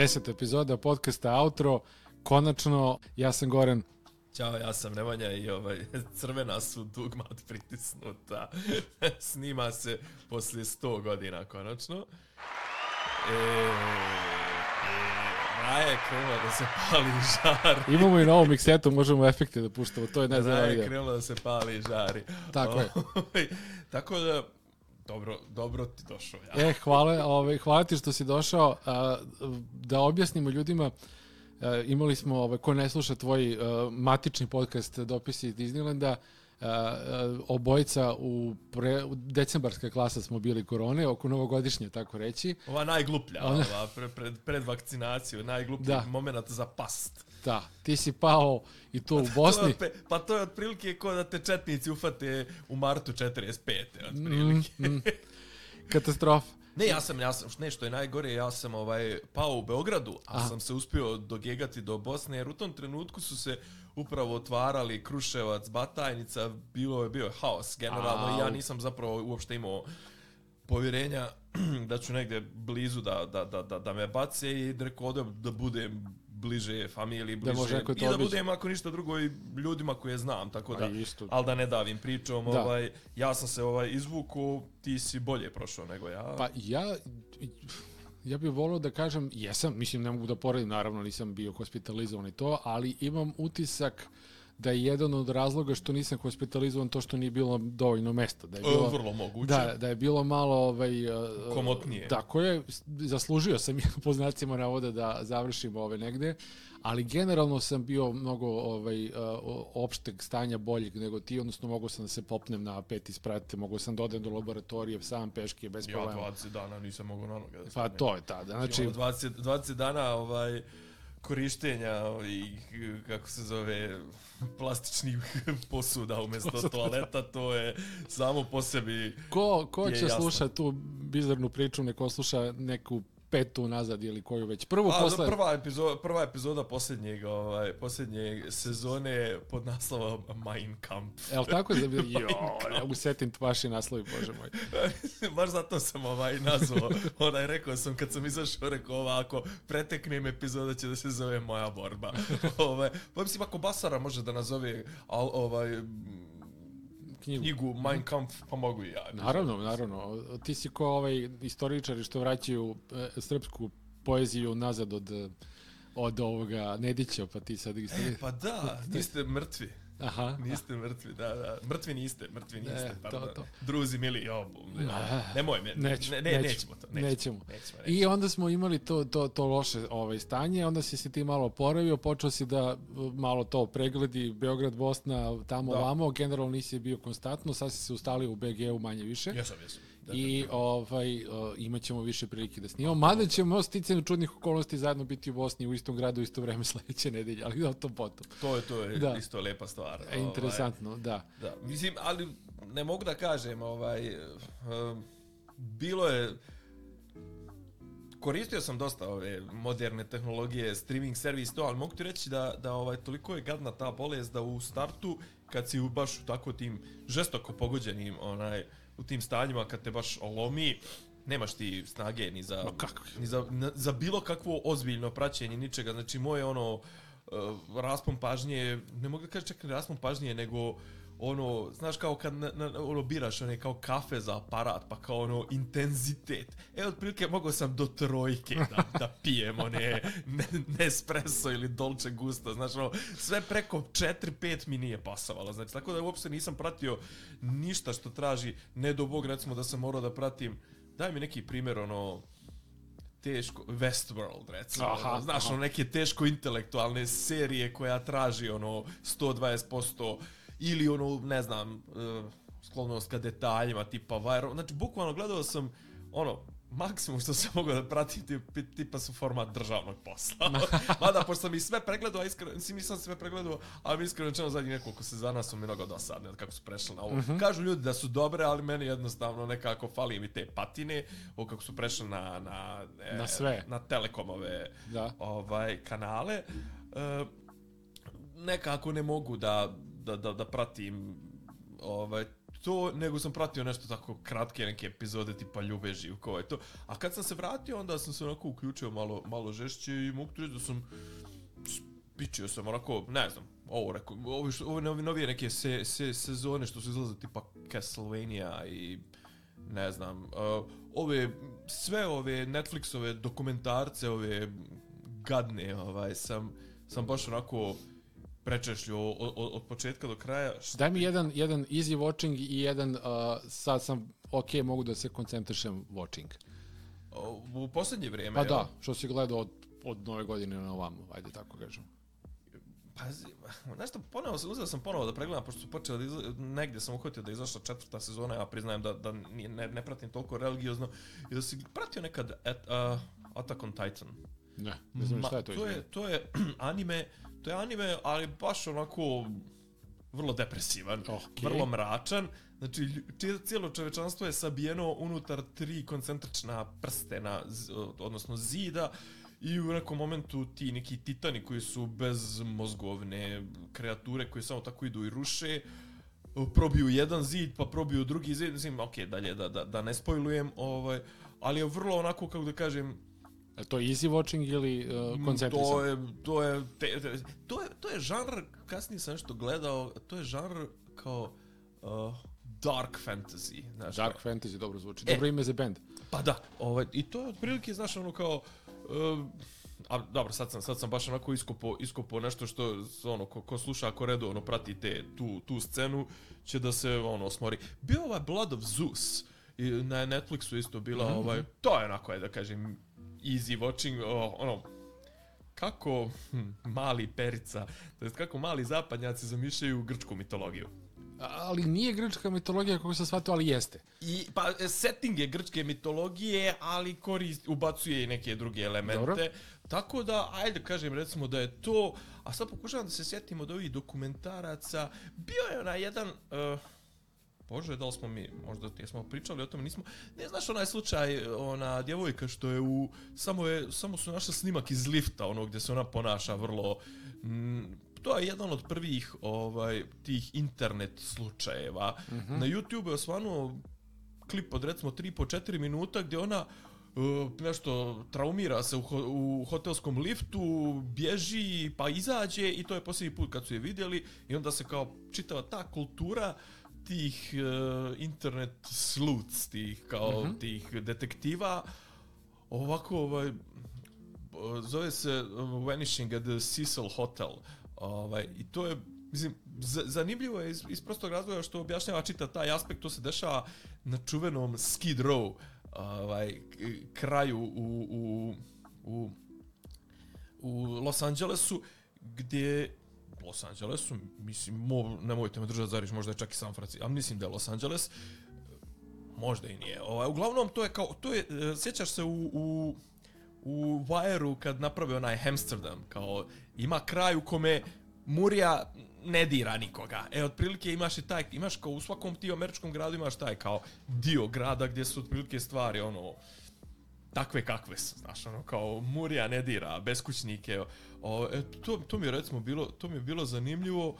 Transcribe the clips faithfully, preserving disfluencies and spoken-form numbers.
deseta epizoda podcasta Outro. Konačno, ja sam Goran. Ćao, ja sam Nemanja i ovaj, crvena su dugmat pritisnuta. Snima se poslije sto godina, konačno. E, e, Raja je krenula da se pali žari. Imamo i novu miksetu, možemo efekte da puštamo, to je najzanimljivije. Raja je krenula da se pali žari. Tako je. Tako da, dobro, dobro ti došao. Ja. E, hvala, ovaj, hvala ti što si došao. A, da objasnimo ljudima, a, imali smo, ovaj, ko ne sluša tvoj a, matični podcast Dopisi iz Disneylanda, a, a, obojica u, pre, u decembarska klasa smo bili korone, oko novogodišnje, tako reći. Ova najgluplja, Ona... ova, pre, pred, pred vakcinaciju, najgluplji moment za past. Da, ti si pao i to u Bosni. to je, pa to je otprilike kao da te četnici ufate u martu četrdeset pete otprilike. Mm, mm. Katastrofa. Ne, ja sam, ja sam, nešto je najgore, ja sam ovaj, pao u Beogradu, a Aha. sam se uspio dogegati do Bosne, jer u tom trenutku su se upravo otvarali Kruševac, Batajnica, bilo je bio haos generalno Au. i ja nisam zapravo uopšte imao povjerenja da ću negdje blizu da, da, da, da, da me bace i rekao da, da budem bliže familiji, bliže, da i da budem ako ništa drugo i ljudima koje znam, tako da, ali da ne davim pričom, da. Ovaj, ja sam se ovaj izvuku, ti si bolje prošao nego ja. Pa ja, ja bih volio da kažem, jesam, mislim ne mogu da poredim, naravno nisam bio hospitalizovan i to, ali imam utisak da je jedan od razloga što nisam hospitalizovan to što nije bilo dovoljno mesta. Da je bilo, vrlo moguće. Da, da je bilo malo ovaj, komotnije. Tako je, zaslužio sam po znacima navoda da završim ove negde, ali generalno sam bio mnogo ovaj, opšteg stanja boljeg nego ti, odnosno mogao sam da se popnem na peti sprat, mogao sam da odem do laboratorije sam peške, bez problema. Ja dvadeset dana nisam mogao na noge. Pa to je tada. Znači, dvadeset, dvadeset dana ovaj, korištenja i kako se zove plastičnih posuda umjesto toaleta, to je samo po sebi. Ko, ko će slušati tu bizarnu priču, neko sluša neku petu nazad ili koju već prvu A, posle... prva epizoda prva epizoda posljednjeg ovaj posljednje sezone pod naslovom Mein Kampf. Jel tako je bilo? Jo, ja usetim vaši naslovi, bože moj. Baš zato sam ovaj nazvao. Onaj rekao sam kad sam izašao, rekao ovako, preteknem epizoda će da se zove Moja borba. Ovaj, pa mislim ako Basara može da nazove al, ovaj knjigu, knjigu Mein Kampf, pa mogu i ja. Naravno, naravno. Ti si ko ovaj istoričari što vraćaju e, srpsku poeziju nazad od, od ovoga Nedića, pa ti sad... E, pa da, niste mrtvi. Aha. Niste mrtvi, da, da. Mrtvi niste, mrtvi niste, e, pardon. To, to. Druzi mili, jo, nemoj me, Neću, ne, ne, neću, nećemo to. Nećemo. Nećemo, nećemo, nećemo. I onda smo imali to, to, to loše ovaj, stanje, onda si se ti malo oporavio, počeo si da malo to pregledi, Beograd, Bosna, tamo, da. Vamo, generalno nisi bio konstantno, sad si se ustalio u be ge u manje više. Jesam, jesam. I ovaj, uh, imat ćemo više prilike da snimamo. Mada ćemo sticanju čudnih okolnosti zajedno biti u Bosni u istom gradu u isto vreme sledeće nedelje, ali da to potom. To je, to je da. Isto lepa stvar. E, interesantno, ovaj, da. da. Mislim, ali ne mogu da kažem, ovaj, um, bilo je, koristio sam dosta ove moderne tehnologije, streaming servis, to, ali mogu ti reći da, da ovaj, toliko je gadna ta bolest da u startu, kad si baš u tako tim žestoko pogođenim, onaj, u tim stanjima kad te baš olomi, nemaš ti snage ni za, ni za, za bilo kakvo ozbiljno praćenje ničega. Znači, moje ono, uh, raspon pažnje, ne mogu da kažem čak ni raspon pažnje, nego ono, znaš kao kad na, na, ono, biraš one kao kafe za aparat, pa kao ono, intenzitet. E, otprilike mogao sam do trojke da, da pijem one Nespresso ili Dolce Gusto, znaš, ono, sve preko četiri pet mi nije pasavalo, znači, tako da uopšte nisam pratio ništa što traži, ne do Bog, recimo da sam morao da pratim, daj mi neki primjer, ono, teško, Westworld, recimo, aha, znaš, aha. Ono, neke teško intelektualne serije koja traži, ono, sto dvadeset posto ili ono, ne znam, uh, sklonost ka detaljima, tipa viral. Znači, bukvalno gledao sam, ono, maksimum što sam mogao da pratim, tipa su format državnog posla. Mada, pošto sam i sve pregledao, a iskreno, nisam sve pregledao, ali mi iskreno čeno zadnjih nekoliko sezona su mi mnogo dosadne, kako su prešli na ovo. Mm-hmm. Kažu ljudi da su dobre, ali meni jednostavno nekako fali mi te patine, ovo kako su prešli na, na, e, na sve. Na Telekomove da. Ovaj, kanale. E, nekako ne mogu da Da, da, da pratim ovaj, to, nego sam pratio nešto tako kratke neke epizode tipa Ljube Živkova i to. A kad sam se vratio, onda sam se onako uključio malo, malo žešće i mogu ti reći da sam spičio sam onako, ne znam, ovo rekao, ovo, ovo novi, novije neke se, se, sezone što su izlaze tipa Castlevania i ne znam, uh, ove, sve ove Netflixove dokumentarce, ove gadne, ovaj, sam, sam baš onako prečešljio od, od, od početka do kraja. Daj mi jedan, jedan easy watching i jedan, uh, sad sam, ok, mogu da se koncentrišem watching. U posljednje vrijeme, pa ja? Da, što si gledao od, od nove godine na ovamo, ajde tako kažem. Pazi, nešto ponovo, uzeo sam ponovo da pregledam, pošto su počeli da izla, negdje sam uhvatio da je izašla četvrta sezona, ja priznajem da, da ne, ne pratim toliko religiozno, i da si pratio nekad at, uh, Attack on Titan. Ne, ne znam šta je to to je, to je anime, to je anime, ali baš onako vrlo depresivan, okay. Vrlo mračan. Znači, cijelo čovečanstvo je sabijeno unutar tri koncentrična prstena, odnosno zida, i u nekom momentu ti neki titani koji su bezmozgovne kreature koje samo tako idu i ruše, probiju jedan zid, pa probiju drugi zid, mislim, ok, dalje, da, da, da ne spojlujem, ovaj, ali je vrlo onako, kako da kažem, je to easy watching ili uh, koncentrisan? To je, to je, te, te, to je, to je žanr, kasnije sam nešto gledao, to je žanr kao uh, dark fantasy. Znaš, dark kao, fantasy, dobro zvuči. E, dobro ime za band. Pa da, ovaj, i to je otprilike, znaš, ono kao, uh, a dobro, sad sam, sad sam baš onako iskopo, iskopo nešto što, ono, ko, ko sluša, ako redovno prati te, tu, tu scenu, će da se, ono, smori. Bio ovaj Blood of Zeus, i na Netflixu isto bila, mm-hmm. ovaj, to je onako, je da kažem, easy watching, oh, ono, kako hm, mali Perica, to jest kako mali zapadnjaci zamišljaju grčku mitologiju. Ali nije grčka mitologija kako se shvatio, ali jeste. I, pa setting je grčke mitologije, ali korist, ubacuje i neke druge elemente. Dobro. Tako da, ajde kažem, recimo da je to, a sad pokušavam da se sjetim od ovih dokumentaraca, bio je onaj jedan... Uh, Bože, da li smo mi, možda jesmo pričali o tome, nismo, ne znaš onaj slučaj, ona djevojka što je u, samo je, samo su našli snimak iz lifta, ono gdje se ona ponaša vrlo, m, to je jedan od prvih, ovaj, tih internet slučajeva. Mm-hmm. Na YouTube je osvanuo klip od recimo tri po četiri minuta gdje ona uh, nešto traumira se u, ho, u hotelskom liftu, bježi pa izađe i to je posljednji put kad su je vidjeli i onda se kao čitava ta kultura tih uh, internet sleuths, tih kao mm-hmm. tih detektiva, ovako ovaj zove se Vanishing at the Cecil Hotel. Ovaj i to je, mislim, z- zanimljivo je iz, iz prostog razloga što objašnjava čita taj aspekt, to se dešava na čuvenom Skid Row, ovaj kraju u u u u Los Angelesu, gdje Los Angelesu, mislim, mo, nemojte me držati za riječ, možda je čak i San Francisco, ali mislim da je Los Angeles, možda i nije. Ovaj, uglavnom, to je kao, to je, sjećaš se u, u, u Wire-u kad naprave onaj Amsterdam, kao, ima kraj u kome Murija ne dira nikoga. E, otprilike imaš i taj, imaš kao u svakom ti američkom gradu imaš taj kao dio grada gdje su otprilike stvari, ono, takve kakve su, znaš, ono, kao Murija ne dira, beskućnike, o, e, to, to mi je recimo bilo, to mi je bilo zanimljivo,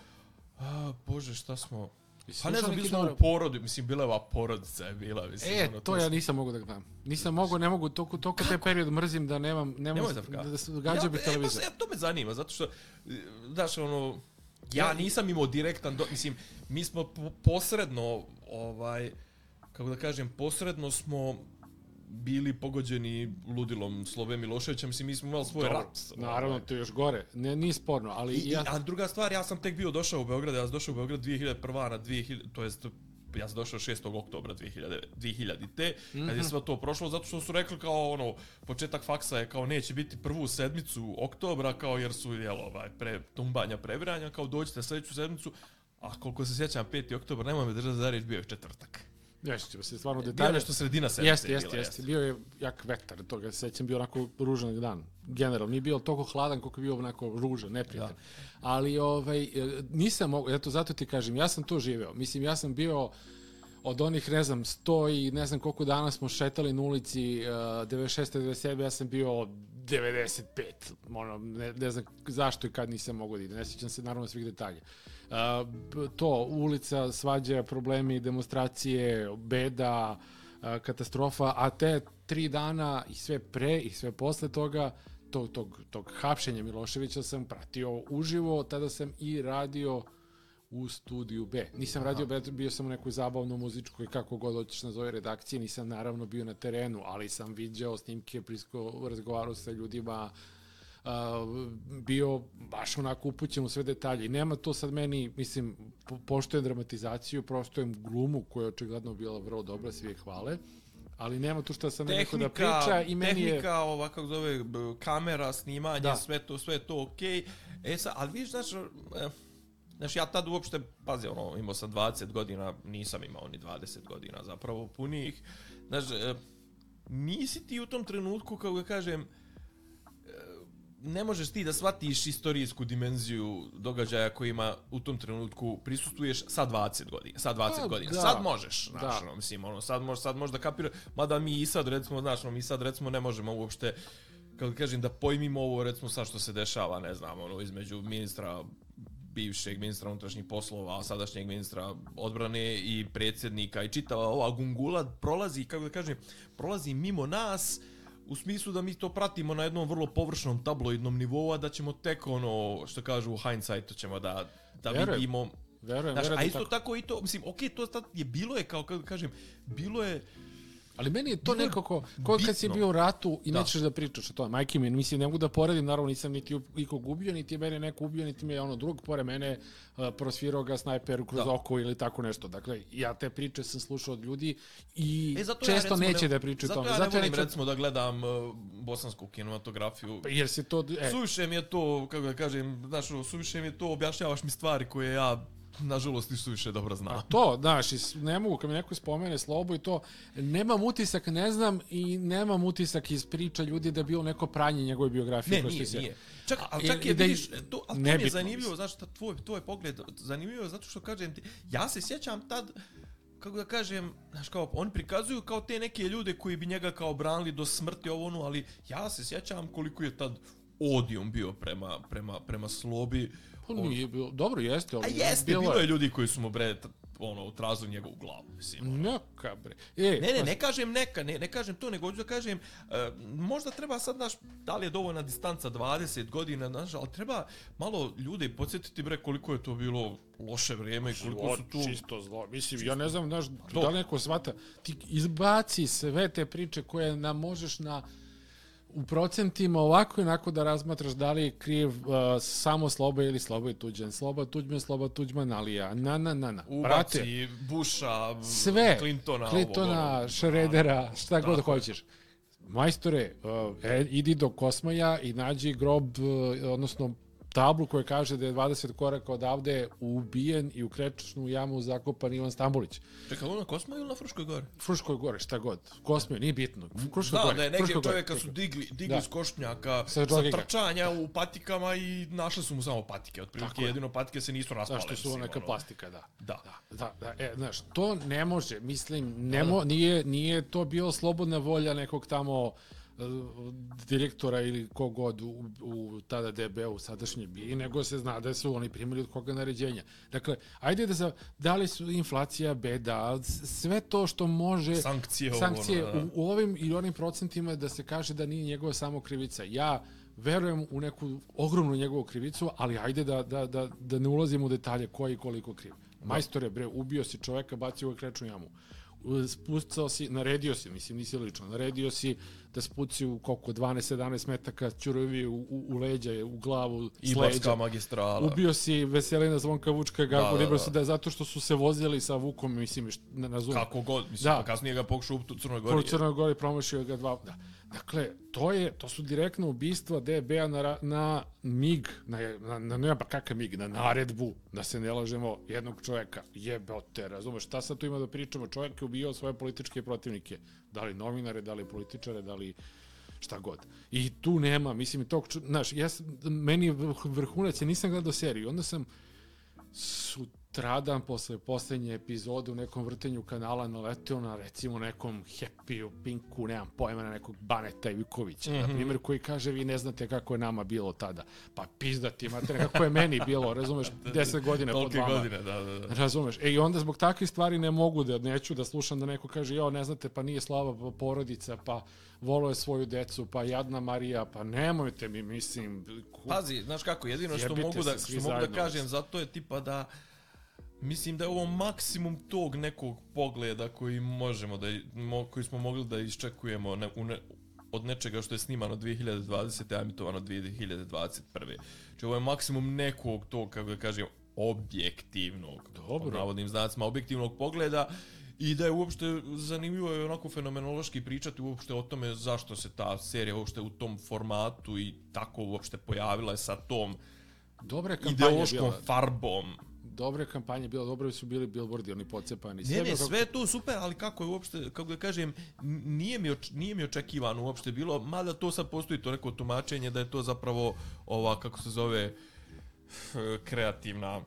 a, bože, šta smo, pa ne znam, bili smo u porodi, mislim, bila je ova porodica je bila, mislim. E, ono, to, to ja nisam mogu da gledam, nisam mogu, ne mogu, toliko, toliko te period mrzim da nemam, nemam da, da se gađa bi televizor. Ja, to me zanima, zato što, znaš, ono, ja nisam imao direktan, do, mislim, mi smo posredno, ovaj, kako da kažem, posredno smo bili pogođeni ludilom Slove Miloševića, mislim, mi smo imali svoj Dobro, rat. Naravno, to je još gore, ne, nije sporno, ali... I, ja... A druga stvar, ja sam tek bio došao u Beograd, ja sam došao u Beograd dvije hiljade prve na dvije hiljade, to jest, ja sam došao šestog oktobra dvije hiljadite, mm-hmm. kad je sve to prošlo, zato što su rekli kao, ono, početak faksa je kao neće biti prvu sedmicu oktobra, kao jer su, jel, ovaj, pre, tumbanja, previranja, kao dođite sljedeću sedmicu, a koliko se sjećam, peti oktobar, nemoj me držati za riječ, bio je četvrtak. Jeste, se stvarno detalje. Bio je nešto sredina sedmice. Jeste, jeste, jeste. Bio je jak vetar, toga se sećam, bio onako ružan dan. Generalno, nije bio toliko hladan koliko je bio onako ružan, neprijatan. Ja. Ali ovaj, nisam mogu, eto, zato ti kažem, ja sam to živeo. Mislim, ja sam bio od onih, ne znam, sto i ne znam koliko dana smo šetali na ulici uh, devedeset šeste devedeset sedme ja sam bio devedeset pet. Ono, ne, ne znam zašto i kad nisam mogao da idem. Ne sjećam se naravno svih detalja. Uh, to, ulica, svađa, problemi, demonstracije, beda, uh, katastrofa, a te tri dana i sve pre i sve posle toga, tog, tog, tog hapšenja Miloševića sam pratio uživo, tada sam i radio u studiju B. Nisam Aha. radio, bio sam u nekoj zabavno muzičkoj, kako god hoćeš nazove redakcije, nisam naravno bio na terenu, ali sam viđao snimke, prisko, razgovarao sa ljudima, uh, bio baš onako upućen u sve detalje. I nema to sad meni, mislim, po, poštujem dramatizaciju, poštujem glumu koja je očigledno bila vrlo dobra, svi je hvale, ali nema tu šta sam neko da priča i meni je... Tehnika, ova, kako zove, kamera, snimanje, da. sve to, sve to okej. Okay. E sad, ali vidiš, znaš, eh, Znaš, ja tad uopšte, pazi, ono, imao sam dvadeset godina, nisam imao ni dvadeset godina zapravo punih. Znaš, nisi ti u tom trenutku, kako ga kažem, ne možeš ti da shvatiš istorijsku dimenziju događaja kojima u tom trenutku prisustuješ sa dvadeset godina. Sa dvadeset pa, godina. Da. Sad možeš, znaš, no, mislim, ono, sad možeš, sad možeš da kapiraš, mada mi i sad, recimo, znaš, no, mi sad, recimo, ne možemo uopšte, kako kažem, da pojmimo ovo, recimo, sad što se dešava, ne znam, ono, između ministra bivšeg ministra unutrašnjih poslova, sadašnjeg ministra odbrane i predsjednika i čitava ova gungula prolazi, kako da kažem, prolazi mimo nas u smislu da mi to pratimo na jednom vrlo površnom tabloidnom nivou, a da ćemo tek ono, što kažu u hindsightu ćemo da, da verujem, vidimo. Verujem, znaš, verujem. A isto tako. tako i to, mislim, okej, okay, to tad je bilo je, kao kako da kažem, bilo je. Ali meni je to bilo nekako, kao kad si bio u ratu i da. nećeš da pričaš o tome. Majke mi, mislim, ne mogu da poredim, naravno nisam niti ikog ubio, niti je mene neko ubio, niti mi je ono drug pored mene uh, prosvirao ga snajper kroz da. oko ili tako nešto. Dakle, ja te priče sam slušao od ljudi i e, često ja, neće ne, da pričaju o tome. Zato ja ne volim, neću... recimo, da gledam uh, bosansku kinematografiju. Pa jer se to... E. Suviše mi je to, kako da kažem, znaš, suviše mi je to, objašnjavaš mi stvari koje ja... nažalost nisu više dobro znam. A to, znaš, ne mogu, kad mi neko spomene Slobu i to, nemam utisak, ne znam, i nemam utisak iz priča ljudi da je bilo neko pranje njegove biografije. Ne, nije, se... nije. Čak, ali čak je, da vidiš, to, ali to mi je zanimljivo, znaš, tvoj, tvoj pogled, zanimljivo je zato što kažem ti, ja se sjećam tad, kako da kažem, znaš, kao, oni prikazuju kao te neke ljude koji bi njega kao branili do smrti ovo ono, ali ja se sjećam koliko je tad odijum bio prema, prema, prema Slobi. Pa nije bilo, dobro jeste, ali... A jeste, bilo, bilo je ljudi koji su mu bre, ono, trazili njegovu glavu, mislim. Neka, bre. E, ne, ne, ne kažem neka, ne, ne kažem to, nego hoću da kažem, uh, možda treba sad, znaš, da li je dovoljna distanca dvadeset godina, znaš, ali treba malo ljude podsjetiti, bre, koliko je to bilo loše vrijeme i koliko zlo, su tu... Čisto zlo, mislim, čisto. Ja ne znam, znaš, da li neko shvata, ti izbaci sve te priče koje nam možeš na... u procentima ovako i onako da razmatraš da li je kriv uh, samo Sloba ili Sloba i Tuđman. Sloba Tuđman, Sloba Tuđman, Alija, na, na, na, na. Ubaci Busha, sve, Clintona, Clintona, Šredera, šta god hoćeš. Majstore, uh, e, idi do Kosmaja i nađi grob, uh, odnosno tablu koja kaže da je dvadeset koraka odavde ubijen i u krečnu jamu zakopan Ivan Stambolić. Čekaj, ono na Kosmaju ili na Fruškoj gori? Fruškoj gori, šta god. Kosmaju, nije bitno. Fruškoj da, gori. Da, je neke čovjeka su digli, digli s košnjaka sa, sa trčanja u patikama i našli su mu samo patike. Otprilike jedino patike se nisu raspale. Zašto su neka ono... plastika, da. Da. da, da, da e, znaš, to ne može, mislim, ne mo, nije, nije to bilo slobodna volja nekog tamo direktora ili kogod u, u tada D B U sadašnje bije, nego se zna da su oni primili od koga naređenja. Dakle, ajde da za, da li su inflacija, beda, sve to što može sankcije, sankcije ono, u, u ovim i onim procentima da se kaže da nije njegova samo krivica. Ja verujem u neku ogromnu njegovu krivicu, ali ajde da, da, da, da ne ulazimo u detalje ko i koliko kriv. Majstore, bre, ubio si čoveka, bacio ga krečnu jamu. Spucao si, naredio si, mislim, nisi lično, naredio si da spuci u koliko, dvanaest sedamnaest metaka ćurovi u, u, u leđa, u glavu, s Ibarska magistrala. Ubio si Veselina Zvonka Vučka, Gago, da, da, da. da zato što su se vozili sa Vukom, mislim, ne razumem. Kako god, mislim, da. Pa kasnije ga pokušao u Crnoj Gori. U Crnoj Gori promašio ga dva, da. Dakle, to je, to su direktno ubistva D B A na, na mig, na, na, na nema pa kakav mig, na naredbu, da se ne lažemo jednog čovjeka. Jebote, razumeš, šta sad tu ima da pričamo? Čovjek je ubijao svoje političke protivnike. Da li novinare, da li političare, da li šta god. I tu nema, mislim, tog, znaš, ja, meni je vrhunac, ja nisam gledao seriju, onda sam su sutradan posle poslednje epizode u nekom vrtenju kanala naleteo na recimo nekom Happy-u, Pinku, nemam pojma, na nekog Baneta Ivikovića, mm-hmm. na primjer, koji kaže vi ne znate kako je nama bilo tada. Pa pizdati, imate kako je meni bilo, razumeš, deset godine pod vama. Godine, da, da, da. Razumeš. E i onda zbog takvih stvari ne mogu da, neću da slušam da neko kaže jo, ne znate, pa nije slava porodica, pa volio je svoju decu, pa jadna Marija, pa nemojte mi, mislim... Pazi, znaš kako, jedino što mogu da, što mogu da kažem za to je tipa da mislim da je ovo maksimum tog nekog pogleda koji možemo da, koji smo mogli da iščekujemo ne, ne, od nečega što je snimano dvije hiljade dvadesete. a emitovano dvije hiljade dvadeset prve. Znači ovo je maksimum nekog tog, kako da kažem, objektivnog, pod navodnim znacima, objektivnog pogleda. I da je uopšte zanimljivo je onako fenomenološki pričati uopšte o tome zašto se ta serija uopšte u tom formatu i tako uopšte pojavila je sa tom ideološkom farbom. Dobre kampanje bilo, dobre su bili billboardi, oni pocepani. Ne, ne, sve je to super, ali kako je uopšte, kako da kažem, nije mi, oč, nije mi očekivano uopšte bilo, mada to sad postoji to neko tumačenje da je to zapravo ova, kako se zove, kreativna...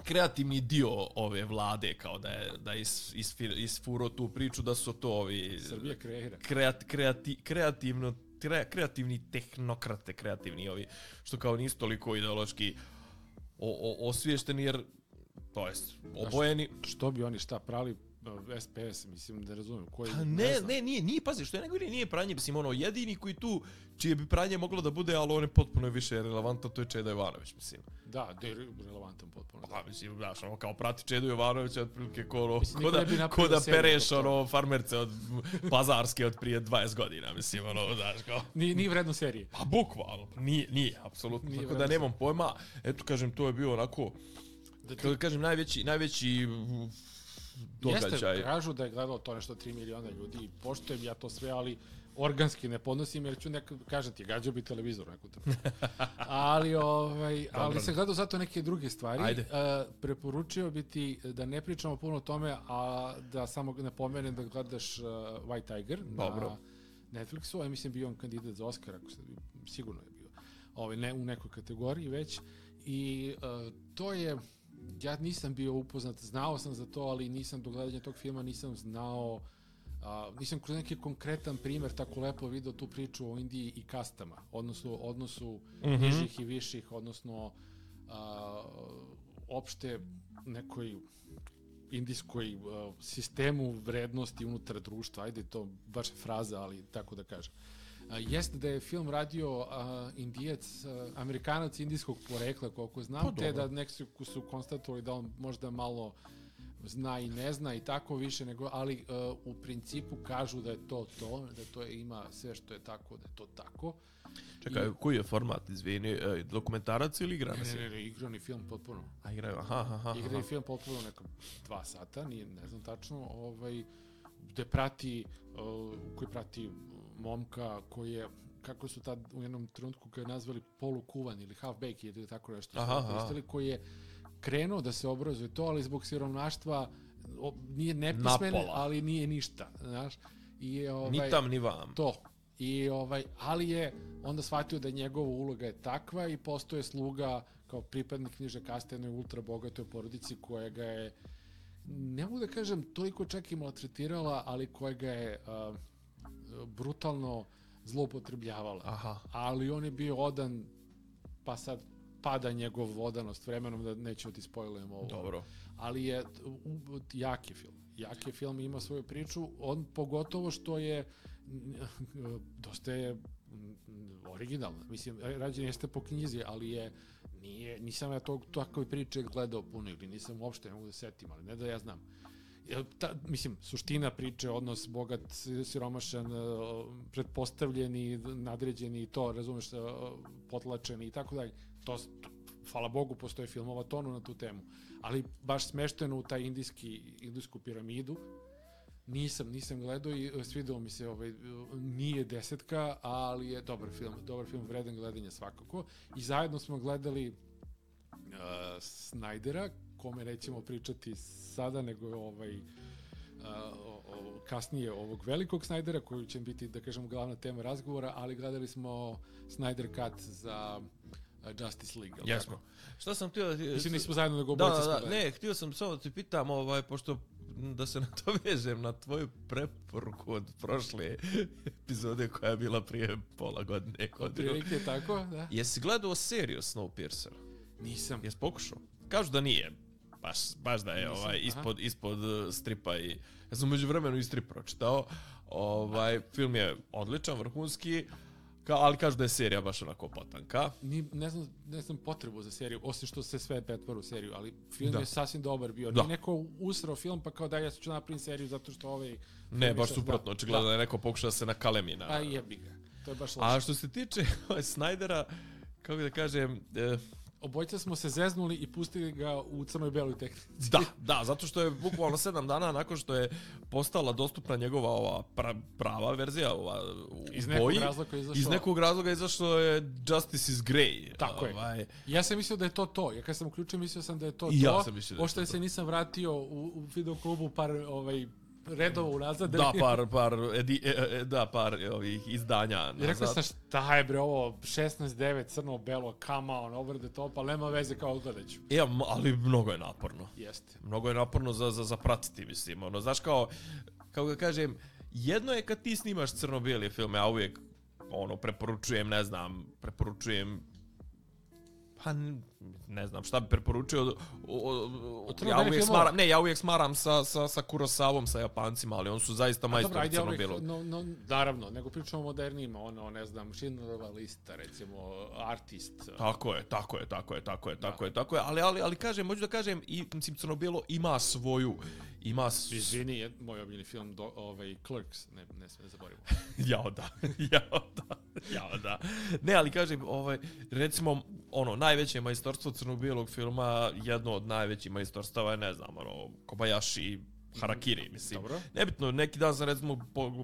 kreativni dio ove vlade, kao da je da is, is, isfuro tu priču da su to ovi Srbija kreira. Kreat, kreati, kreativno, kre, kreativni tehnokrate, kreativni ovi, što kao nisu toliko ideološki o, o, osviješteni, jer to jest obojeni. Što, što bi oni šta prali S P S, mislim da razumijem koji pa ne, ne, ne, nije, nije, pazi, što je nego nije pranje, mislim, ono, jedini koji tu, čije bi pranje moglo da bude, ali on je potpuno više relevantan, to je Čeda Jovanović, mislim. Da, da je relevantan potpuno. Da, mislim, daš, ono, kao prati Čedu Jovanovića, otprilike, ko, ko da, ko da pereš, ono, farmerce od pazarske od prije dvadeset godina, mislim, ono, daš, kao. Nije, nije vredno serije. Pa, bukvalno, nije, nije, apsolutno, nije tako da nemam pojma, eto, kažem, to je bio onako, da ti... kažem, najveći, najveći događaj. Jeste, kažu da je gledalo to nešto tri miliona ljudi i poštujem ja to sve, ali organski ne podnosim jer ću nekad, kažem ti, gađao bi televizor neku tako. ali, ovaj, ali sam gledao zato neke druge stvari. Ajde. Uh, preporučio bi ti da ne pričamo puno o tome, a da samo napomenem da gledaš uh, White Tiger Dobro. na Netflixu. Ja mislim bio on kandidat za Oscar, ako se, sigurno je bio. Ovaj, ne, u nekoj kategoriji već. I uh, to je... Ja nisam bio upoznat, znao sam za to, ali nisam do gledanja tog filma nisam znao, a, nisam kroz neki konkretan primjer tako lepo video tu priču o Indiji i kastama, odnosno odnosu mm-hmm. nižih i viših, odnosno a, opšte nekoj indijskoj a, sistemu vrednosti unutar društva, ajde to baš je fraza, ali tako da kažem. Uh, jeste da je film radio uh, Indijac, uh, Amerikanac indijskog porekla, koliko znam, pa, te da neki su konstatovali da on možda malo zna i ne zna i tako više, nego, ali uh, u principu kažu da je to to, da to je, ima sve što je tako, da je to tako. Čekaj, I, koji je format, izvini, dokumentarac ili igrani film? Ne, ne, ne, igrani film potpuno. A igraju, aha, aha, aha. Igrani film potpuno neka dva sata, nije, ne znam tačno, ovaj, gde prati, uh, koji prati momka koji je, kako su tad u jednom trenutku ga nazvali polukuvan ili half-baked ili tako nešto, koristili, koji je krenuo da se obrazuje to, ali zbog siromaštva nije nepismen, ali nije ništa, znaš. I, ovaj, ni tam, ni vam. To. I, ovaj, ali je onda shvatio da njegova uloga je takva i postoje sluga kao pripadnik niže kaste jednoj ultra bogatoj porodici koja ga je, ne mogu da kažem, toliko čak i maltretirala, ali koja ga je uh, brutalno zloupotrebljavala. Aha. Ali on je bio odan, pa sad pada njegov odanost vremenom, da neću ti spojlujem ovo. Dobro. Ali je jak je film. Jak je film, ima svoju priču. On pogotovo što je dosta je originalno. Mislim, rađen jeste po knjizi, ali je nije, nisam ja tog takve priče gledao puno ili nisam uopšte, ne mogu da setim, ali ne da ja znam. Ta, mislim, suština priče, odnos bogat, siromašan, pretpostavljeni, nadređeni i to, razumeš, potlačeni i tako dalje. To, hvala Bogu, postoje filmova tonu na tu temu. Ali baš smešteno u taj indijski, indijsku piramidu, nisam, nisam gledao i svidao mi se, ovaj, nije desetka, ali je dobar film, dobar film, vredan gledanja svakako. I zajedno smo gledali uh, Snydera, kome nećemo pričati sada, nego ovaj, uh, o, o, kasnije ovog velikog Snydera, koji će biti, da kažemo, glavna tema razgovora, ali gledali smo Snyder Cut za uh, Justice League. Jesmo. Šta sam htio da ti... Mislim, nismo zajedno nego da, obojice da, smo da, ne, htio sam samo da ti pitam, ovaj, pošto da se nadovežem na tvoju preporuku od prošle epizode koja je bila prije pola godine. Otprilike tako, da. Jesi gledao seriju Snowpiercer? Nisam. Jesi pokušao? Kažu da nije. Baš, baš da je Nisam, ovaj, ispod, ispod uh, stripa i... Ja sam među vremenu i strip pročitao. Ovaj, film je odličan, vrhunski, ka, ali kažu da je serija baš onako potanka. Ni, ne, znam, ne znam potrebu za seriju, osim što se sve pretvara u seriju, ali film da. je sasvim dobar bio. Da. Nije neko usrao film pa kao da ja ću napraviti seriju zato što ovaj... Ne, baš suprotno, očigledno da je neko pokušao se nakalemi na... A jebi ga, to je baš loše. A što se tiče ovaj, Snydera, kako da kažem... Eh, Obojica smo se zeznuli i pustili ga u crnoj beloj tehnici. Da, da, zato što je bukvalno sedam dana nakon što je postala dostupna njegova ova pra, prava verzija, ova u iz boji, nekog razloga izašao. Iz nekog razloga izašlo je Justice is Grey. Tako ovaj. je. Ja sam mislio da je to to. Ja kad sam uključio mislio sam da je to I to. Ja sam mislio da je to to. se nisam vratio u, u videoklubu par ovaj redova unazad. Da, par, par, edi, e, da, par ovih izdanja nazad. I rekao sam šta je bre ovo, šesnaest devet, crno-belo, come on, over the top, ali nema veze kao odgledaću. E, ali mnogo je naporno. Jeste. Mnogo je naporno za, za, za pratiti, mislim. Ono, znaš kao, kako ga kažem, jedno je kad ti snimaš crno-bijeli filme, a uvijek, ono, preporučujem, ne znam, preporučujem, pa ne znam šta bi preporučio. O, o, o, ja uvijek smaram, ne, ja uvijek smaram sa, sa, sa Kurosavom, sa Japancima, ali oni su zaista majstori crno-bijelog. No, no, naravno, nego pričamo o modernijima, ono, ne znam, Schindlerova lista, recimo, Artist. Tako je, tako je, tako je, tako je, tako je, tako je, ali, ali, ali kažem, moću da kažem, i, mislim, crno-bijelo ima svoju, ima... Izvini, je moj omiljeni film, do, ovaj, Clerks, ne, ne sve ne zaboravimo. Jao da, jao da, jao da. Ne, ali kažem, ovaj, recimo, ono, najveće majstorstvo crno-bijelog filma, jedno od najvećih majstorstava je, ne znam, ono, Kobayashi, Harakiri, mislim. Dobro. Nebitno, neki dan sam, recimo,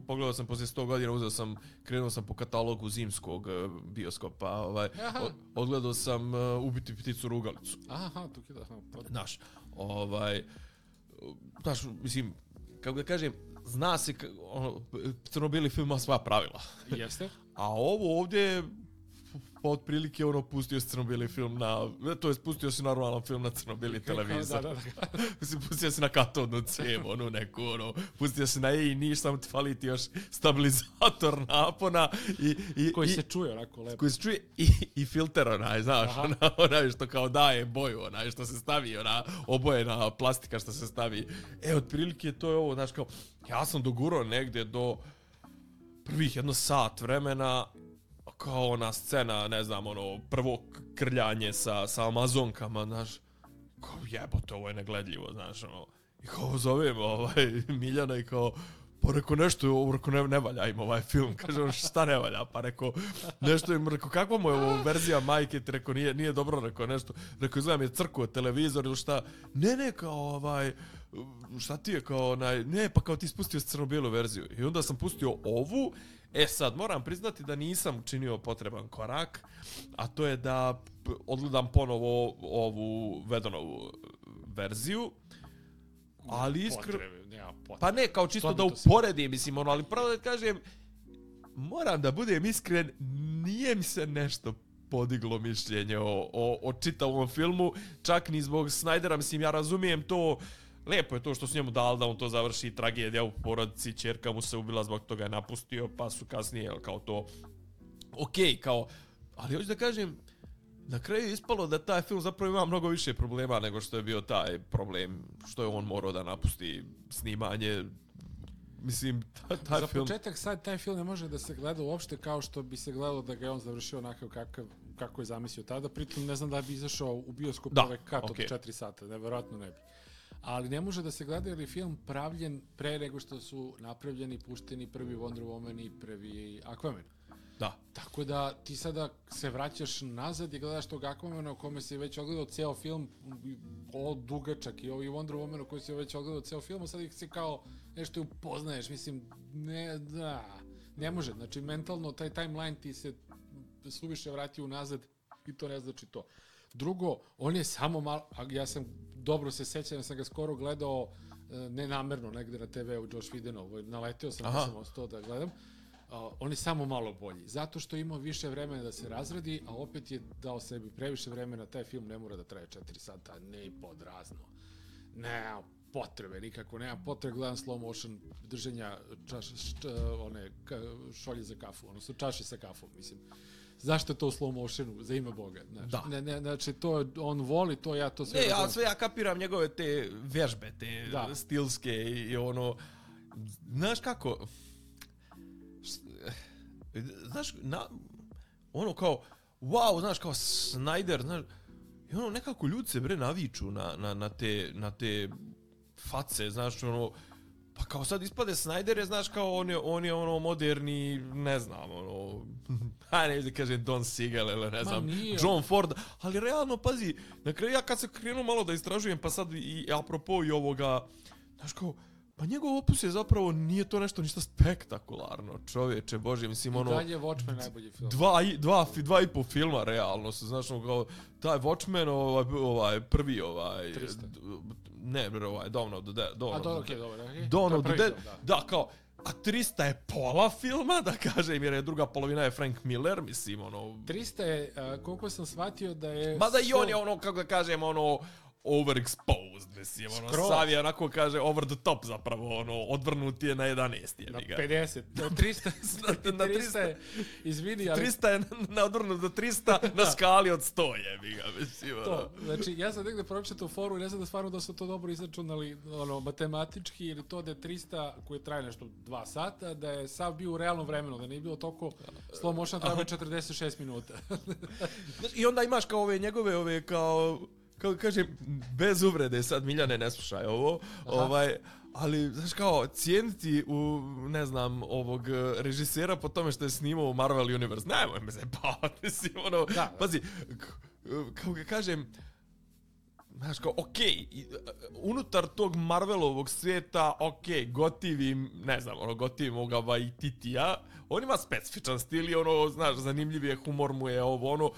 pogledao sam poslije sto godina, uzeo sam, krenuo sam po katalogu zimskog bioskopa, ovaj, odgledao sam uh, Ubiti pticu rugalicu. Aha, tu kida. Znaš, ovaj, znaš, mislim, kako da kažem, zna se, ono, crno-bijeli film ima sva pravila. Jeste. A ovo ovdje pa otprilike ono pustio si crno-bijeli film na, to je pustio si normalan film na crno-bijeli televizor. Da, da, da. Mislim, pustio si na katodnu cijevu, onu neku, ono, pustio si na E i niš, samo ti fali ti još stabilizator napona i... i koji i, se čuje onako lepo. Koji se čuje i, i filter onaj, znaš, ona, onaj što kao daje boju, onaj što se stavi, ona obojena plastika što se stavi. E, otprilike to je ovo, znaš, kao, ja sam dogurao negdje do prvih jedno sat vremena, kao ona scena, ne znam, ono, prvo krljanje sa, sa Amazonkama, znaš, kao jebote, ovo je negledljivo, znaš, ono, i kao zovem ovaj, Miljana i kao, pa reko nešto, ovo reko ne, ne valja im ovaj film, kaže on šta ne valja, pa reko nešto im, reko kakva mu je ovo verzija majke, ti reko nije, nije dobro, reko nešto, reko izgledam je crkuo televizor ili šta, ne ne, kao ovaj, šta ti je kao onaj, ne, pa kao ti spustio crno-bijelu verziju i onda sam pustio ovu. E sad, moram priznati da nisam činio potreban korak, a to je da odgledam ponovo ovu Vedonovu verziju, ali iskr... Pa ne, kao čisto da uporedim, mislim, ono, ali pravo da kažem, moram da budem iskren, nije mi se nešto podiglo mišljenje o, o, o čitavom filmu, čak ni zbog Snydera, mislim, ja razumijem to. Lijepo je to što su njemu dali da on to završi, tragedija u porodici, ćerka mu se ubila, zbog toga je napustio, pa su kasnije, jel, kao to, okej, okay, kao, ali hoću da kažem, na kraju je ispalo da taj film zapravo ima mnogo više problema nego što je bio taj problem, što je on morao da napusti snimanje, mislim, taj, taj za film... Za početak sad taj film ne može da se gleda uopšte kao što bi se gledalo da ga je on završio onako kakav, kako je zamislio tada, pritom ne znam da bi izašao u bioskop ovaj kat okay. od četiri sata, nevjerojatno ne bi. Ali ne može da se gleda jer je film pravljen pre nego što su napravljeni, pušteni prvi Wonder Woman i prvi Aquaman. Da. Tako da ti sada se vraćaš nazad i gledaš tog Aquamana o kome si već ogledao ceo film, o dugačak i ovi Wonder Woman o kojoj si već ogledao ceo film, a sad ih si kao nešto upoznaješ, mislim, ne, da, ne može. Znači, mentalno taj timeline ti se suviše vrati unazad i to ne znači to. Drugo, on je samo malo, ja sam dobro se sećam, ja sam ga skoro gledao nenamerno negde na te ve u Josh Whedonu, naleteo sam da sam ostao da gledam. Uh, on je samo malo bolji, zato što ima više vremena da se razradi, a opet je dao sebi previše vremena, taj film ne mora da traje četiri sata, ne i pod razno. Nema potrebe, nikako, nema potrebe, gledam slow motion držanja čaš, št, one, ka, šolje za kafu, odnosno čaše sa kafom, mislim. Zašto je to u slow motionu, za ime Boga, znaš. Da. Ne, ne, znači, to on voli, to ja to sve... Ne, ja sve ja kapiram njegove te vježbe, te da. stilske i ono... Znaš kako... Znaš, na, ono kao, wow, znaš, kao Snyder, znaš, i ono, nekako ljudi se bre naviču na, na, na, te, na te face, znaš, ono, pa kao sad ispade Snyder je, znaš, kao on je, on je ono moderni, ne znam, ono, hajde ne da kažem Don Siegel ili ne znam, John Ford, ali realno, pazi, na kraju ja kad se krenuo malo da istražujem, pa sad i apropo i ovoga, znaš, kao, pa njegov opus je zapravo, nije to nešto ništa spektakularno, čovječe, bože, mislim, ono... I dalje je Watchmen najbolji film. Dva, i, dva, dva i po filma, realno, su, znaš, ono, kao, taj Watchmen, ovaj, ovaj prvi, ovaj... trista. Ne, ovaj, Dawn of the Dead. Dawn A, of dobro, the okej, dobro, okej. Dawn of the Dead, film, da. da, kao, a trista je pola filma, da kažem, jer je druga polovina je Frank Miller, mislim, ono... trista je, uh, koliko sam shvatio da je... Mada i on je ono, kako da kažem, ono... overexposed, mislim, ono, Skroz. Sav je onako kaže over the top zapravo, ono, odvrnut je na jedanaest, je Na ga. pedeset, na trista, na trista je, izvini, ali... trista je na odvrnut do trista na skali od sto, je ga, mislim, ono. To, znači, ja sam negde pročitao foru i ne znam da stvarno da su to dobro izračunali, ono, matematički, ili to da je trista, koji traje nešto dva sata, da je sav bio u realnom vremenu, da nije bilo toliko slow motion, treba četrdeset šest minuta. Znači, i onda imaš kao ove njegove, ove kao... Kako kažem, bez uvrede, sad Miljane ne slušaj ovo, Aha. ovaj, ali, znaš kao, cijeniti u, ne znam, ovog režisera po tome što je snimao u Marvel Universe, nemoj me zajebavati, mislim, ono, da, da. Pazi, kako ga kažem, znaš kao, okej, okay, unutar tog Marvelovog svijeta, okej, okay, gotivim, ne znam, ono, gotivim ovoga Waititija, on ima specifičan stil i ono, znaš, zanimljiv je, humor mu je ovo, ono,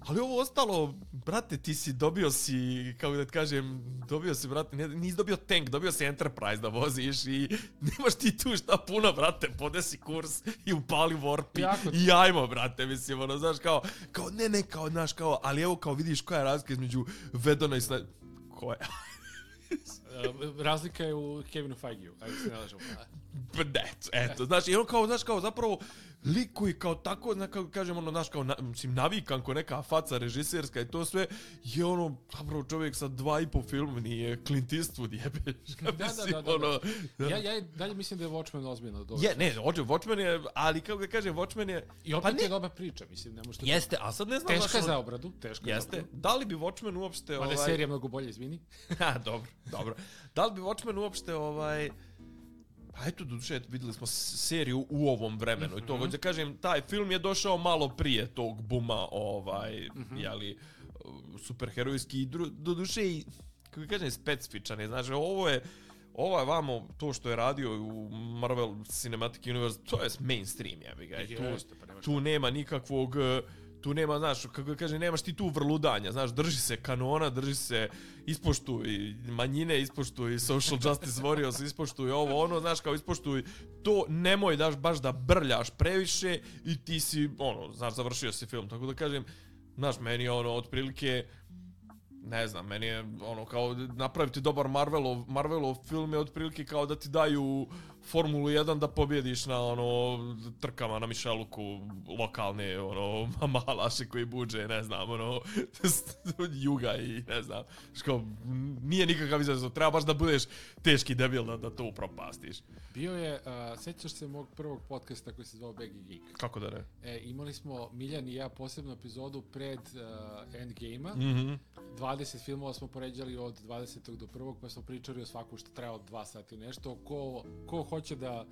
ali ovo ostalo, brate, ti si dobio si, kako da ti kažem, dobio si, brate, nisi dobio tank, dobio si Enterprise da voziš i nemaš ti tu šta puno, brate, podesi kurs i upali warp i ajmo, brate, mislim, ono, znaš, kao, kao, ne, ne, kao, znaš, kao, ali evo, kao, vidiš koja je razlika između Vedona i Snydera, koja je? Razlika je u Kevinu Feigeu, ajde se ne lažemo. Eto, eto, znaš, i on kao, znaš, kao, zapravo, lik koji kao tako, znaš, kao kažem, ono, znaš, kao, na, mislim, navikan ko neka faca režiserska i to sve, je ono, zapravo čovjek sa dva i po film nije Clint Eastwood, jebeš, da, mislim, da, da, da, ono, da. Ja, ja dalje mislim da je Watchmen ozbiljno dobro. Je, ne, Watchmen je, ali kako da kažem, Watchmen je... I opet pa je dobra priča, mislim, ne možete... Jeste, a sad ne znam... Teška za obradu, teška jeste, za obradu. Da li bi Watchmen uopšte... Mada je ovaj... serija mnogo bolje, izvini. Ha, dobro, dobro. Da li bi Watchmen uopšte, ovaj... Pa eto, doduše, videli smo seriju u ovom vremenu. Mm-hmm. I to, hoću da kažem, taj film je došao malo prije tog buma, ovaj, mm-hmm. jeli, superherojski. I doduše, i, kako kažem, specifičan je. Znači, ovo je, ovo je vamo, to što je radio u Marvel Cinematic Universe, to je mainstream, jebi ga. Tu, Jeste, pa tu nema nikakvog... Tu nema, znaš, kako kaže, nemaš ti tu vrludanja, znaš, drži se kanona, drži se, ispoštuj manjine, ispoštuj social justice warriors, ispoštuj ovo, ono, znaš, kao ispoštuj to, nemoj daš baš da brljaš previše i ti si, ono, znaš, završio si film, tako da kažem, znaš, meni je ono, otprilike, ne znam, meni je ono, kao napraviti dobar Marvelov, Marvelov film je otprilike kao da ti daju Formulu jedan da pobjediš na ono trkama na Mišeluku lokalne ono malaše koji buđe, ne znam, ono juga i ne znam, što nije nikakav izazov, treba baš da budeš teški debil da, da to upropastiš. Bio je, uh, sećaš se mog prvog podcasta koji se zvao Baggy Geek? Kako da ne? E, imali smo Miljan i ja posebnu epizodu pred uh, Endgame-a. Mm-hmm. dvadeset filmova smo poređali od dvadesetog do prvog, pa smo pričali o svaku što treba od dva sata i nešto. Ko, ko hoće da,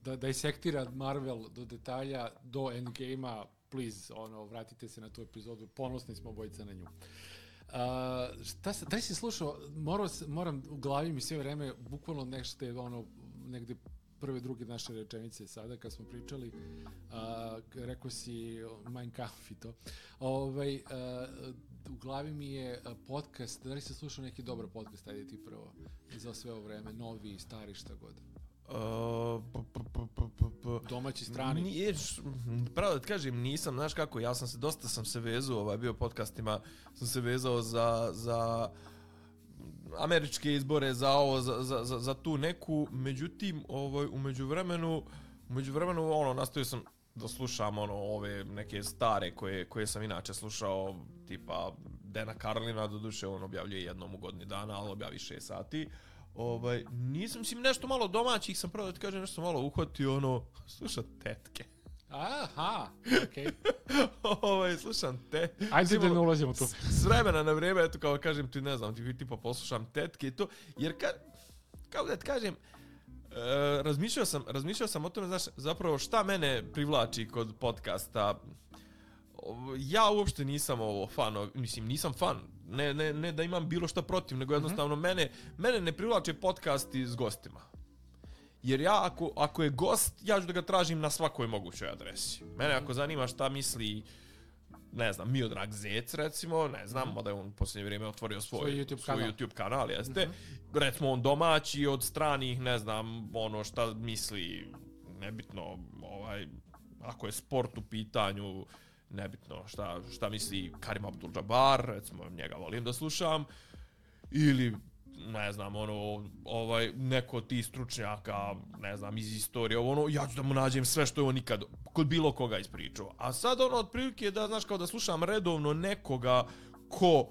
da, da isektira Marvel do detalja, do Endgame-a, please, ono, vratite se na tu epizodu. Ponosni smo obojica na nju. Uh, šta se, da li si slušao, moram, moram u glavi mi sve vreme, bukvalno nešto je ono, negde prve, druge naše rečenice sada, kad smo pričali, uh, rekao si Mein Kampf i to. Ovaj, uh, u glavi mi je podcast, da li si slušao neki dobar podcast, ajde ti prvo, za sve ovo vreme, novi, stari, šta god. Uh, p, p, p, p, p. Domaći, strani. Nije, pravo da ti kažem, nisam, znaš kako, ja sam se, dosta sam se vezao, ovaj, bio podcastima, sam se vezao za, za američke izbore, za ovo, za, za, za, za tu neku, međutim, ovaj, u međuvremenu, u međuvremenu, ono, nastavio sam da slušam, ono, ove neke stare koje, koje sam inače slušao, tipa Dana Carlina, doduše on objavljuje jednom u godini dana, ali objavi šest sati. Ovaj, nisam, mislim, nešto malo domaćih sam pravo da ti kažem, nešto malo uhvatio, ono, slušam tetke. Aha, okej. Okay. ovaj, slušam te. Ajde da ne ulazimo tu. S vremena na vrijeme, eto, kao kažem ti, ne znam, ti tipa poslušam tetke i to, jer ka, kao da ti kažem, e, razmišljao sam, razmišljao sam o tome, znaš, zapravo šta mene privlači kod podcasta. Ja uopšte nisam ovo fan, mislim, nisam fan, ne, ne, ne da imam bilo šta protiv, nego jednostavno mm-hmm. mene, mene ne privlače podcasti s gostima. Jer ja, ako, ako je gost, ja ću da ga tražim na svakoj mogućoj adresi. Mene ako zanima šta misli, ne znam, Miodrag Zec, recimo, ne znam, mada je on u posljednje vrijeme otvorio svoj, svoj, YouTube, svoj kanal. YouTube kanal, jeste. Mm-hmm. Recimo, on domaći, od stranih, ne znam, ono šta misli, nebitno, ovaj, ako je sport u pitanju, nebitno šta, šta misli Karim Abdul-Jabbar, recimo, njega volim da slušam, ili ne znam, ono, ovaj, neko od tih stručnjaka, ne znam, iz istorije, ono, ja ću da mu nađem sve što je on nikad kod bilo koga ispričao. A sad, ono, otprilike da, znaš, kao da slušam redovno nekoga ko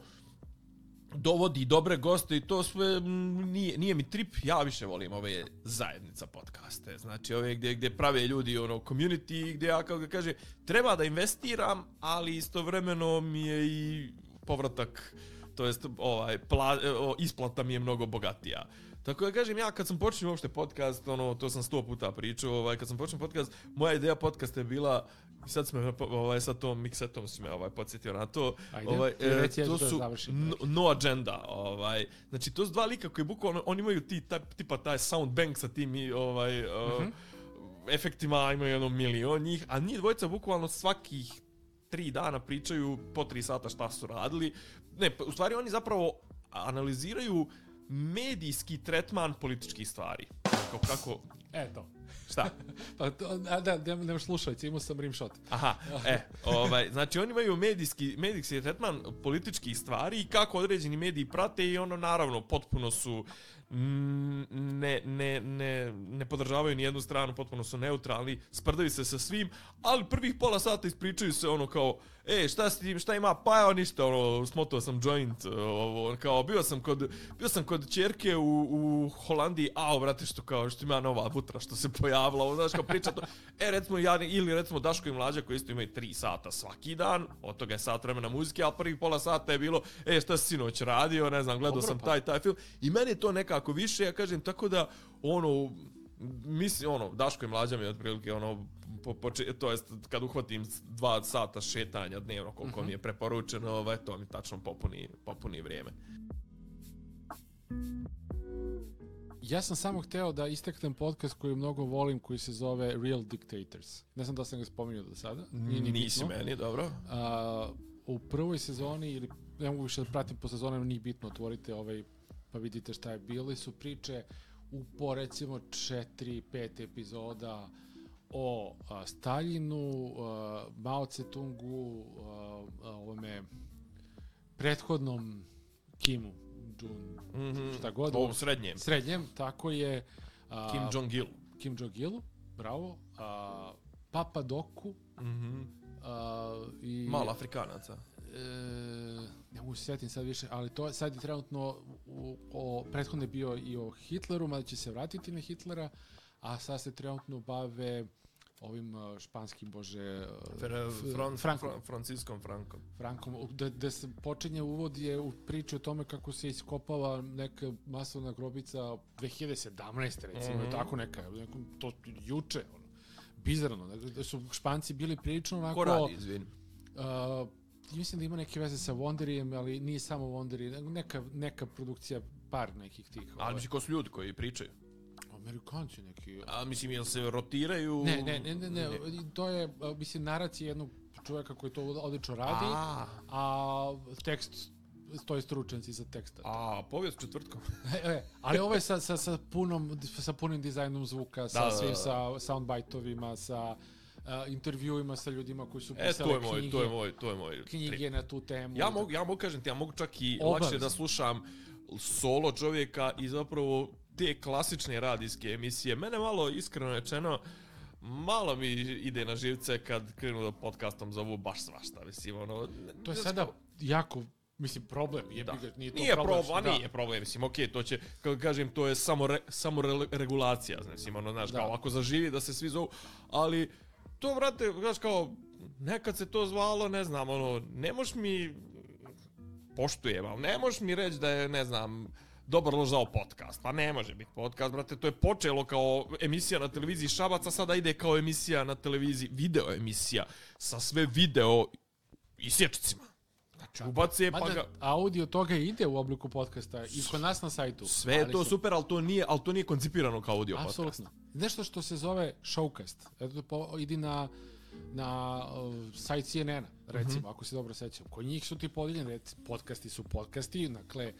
dovodi dobre goste i to sve, nije, nije mi trip, ja više volim ove zajednica podcaste, znači ove gdje, gdje prave ljudi, ono, community, gdje ja, kao ga kaže, treba da investiram, ali istovremeno mi je i povratak, to jest ovaj pla, isplata mi je mnogo bogatija. Tako da kažem, ja kad sam počeo uopšte podcast, ono, to sam sto puta pričao, ovaj, kad sam počeo podcast, moja ideja podcasta je bila, sad smo, ovaj, sa tom mixetom si me ovaj, podsjetio na to, ajde, ovaj, e, to su no, no agenda, ovaj, znači to su dva lika koji bukvalno, oni imaju ti, taj, tipa taj sound bank sa tim i, ovaj, mm-hmm. uh, efektima, imaju jedno milion njih, a njih dvojica bukvalno svakih tri dana pričaju po tri sata šta su radili. Ne, u stvari oni zapravo analiziraju medijski tretman političkih stvari. Kako, kako... Eto. Šta? Pa to, a da, da nemaš slušalice, imao sam rimshot. Aha, e, ovaj, znači oni imaju medijski, medijski tretman političkih stvari i kako određeni mediji prate i ono, naravno, potpuno su ne, ne, ne, ne podržavaju ni jednu stranu, potpuno su neutralni, sprdaju se sa svim, ali prvih pola sata ispričaju se ono kao, e, šta s tim, šta ima, pa evo ništa, ono, smotao sam joint, ovo, kao, bio sam kod, bio sam kod ćerke u, u Holandiji, a, brate, što kao, što ima nova butra, što se pojavila, ovo, znaš, kao priča to, e, recimo, ja, ili recimo Daško i Mlađa, koji isto imaju tri sata svaki dan, od toga je sat vremena muzike, a prvih pola sata je bilo, e, šta si sinoć radio, ne znam, gledao Dobro, sam pa. taj, taj film, i meni je to nekako više, ja kažem, tako da, ono, mislim, ono, Daško i Mlađa mi je otprilike, ono, po, po, to jest, kad uhvatim dva sata šetanja dnevno, koliko uh-huh. mi je preporučeno, ovaj, to mi tačno popuni, popuni vrijeme. Ja sam samo hteo da istaknem podcast koji mnogo volim, koji se zove Real Dictators. Ne znam da sam ga spominjao do sada. Nije ni Nisi bitno. Meni, dobro. A, u prvoj sezoni, ili ne mogu više da pratim po sezonama, nije bitno, otvorite ovaj, pa vidite šta je bilo. Su priče u po recimo četiri pet epizoda o a, Staljinu, a, Mao Tse-tungu, a, a, ovome prethodnom Kimu, Jun, mm-hmm. šta god. O, srednjem. Srednjem, tako je. A, Kim Jong-il. Kim Jong-il, bravo. A, Papa Doku. Mm-hmm. A, i, Malo Afrikanaca. E, ne mogu se sjetim sad više, ali to sad je trenutno u, o, prethodno je bio i o Hitleru, mada će se vratiti na Hitlera, a sad se trenutno bave ovim španskim, bože, Fran, Fran, Frankom. Fran, Franciskom Frankom. Frankom, da, da se počinje uvod je u priču o tome kako se iskopava neka masovna grobica dve hiljade sedamnaeste recimo, mm-hmm. tako neka, neko, to juče, ono, bizarno, da su Španci bili prilično onako... Ko radi, izvini? Uh, mislim da ima neke veze sa Wonderijem, ali nije samo Wonderi, neka, neka produkcija, par nekih tih. Ali mislim, ko su ljudi koji pričaju? Amerikanci neki. A mislim, jel se rotiraju? Ne, ne, ne, ne, ne. to je, mislim, naracija jednog čovjeka koji to odlično radi, a, a tekst stoje stručnjaci za tekst. A, povijest četvrtkom. e, e, ali ovo je sa, sa, sa, punom, sa punim dizajnom zvuka, sa da, svim, da, da. sa soundbite-ovima, sa uh, intervjuima sa ljudima koji su e, pisali to je moj, knjige, to je moj, to je moj knjige trik. na tu temu. Ja mogu, ja mogu kažem ti, ja mogu čak i Obavezno. lakše da slušam solo čovjeka i zapravo te klasične radijske emisije. Mene malo, iskreno rečeno, malo mi ide na živce kad krenu da podcastom zovu baš svašta, mislim, ono... To je sada jako, mislim, problem, je da. Ga, nije to nije problem. Pro, a nije problem, mislim, okej, okay, to će, kako kažem, to je samo, re, samo re, regulacija, mislim, ono, znaš, da. Kao, ako zaživi da se svi zovu, ali to, brate, znaš, kao, nekad se to zvalo, ne znam, ono, ne moš mi, poštujem, ali ne moš mi reći da je, ne znam, dobar ložao podcast, pa ne može biti podcast, brate, to je počelo kao emisija na televiziji Šabac, a sada ide kao emisija na televiziji, video emisija, sa sve video isječcima. Znači, ubace pa ga... Audio toga ide u obliku podcasta i kod nas na sajtu. Sve je to su... super, ali to nije, ali to nije koncipirano kao audio Absolutno. podcast. Nešto što se zove Showcast. Eto, po, idi na, na uh, sajt C N N-a, recimo, mm-hmm. ako se dobro sećam. Kod njih su ti podeljeni, podcasti su podcasti, dakle,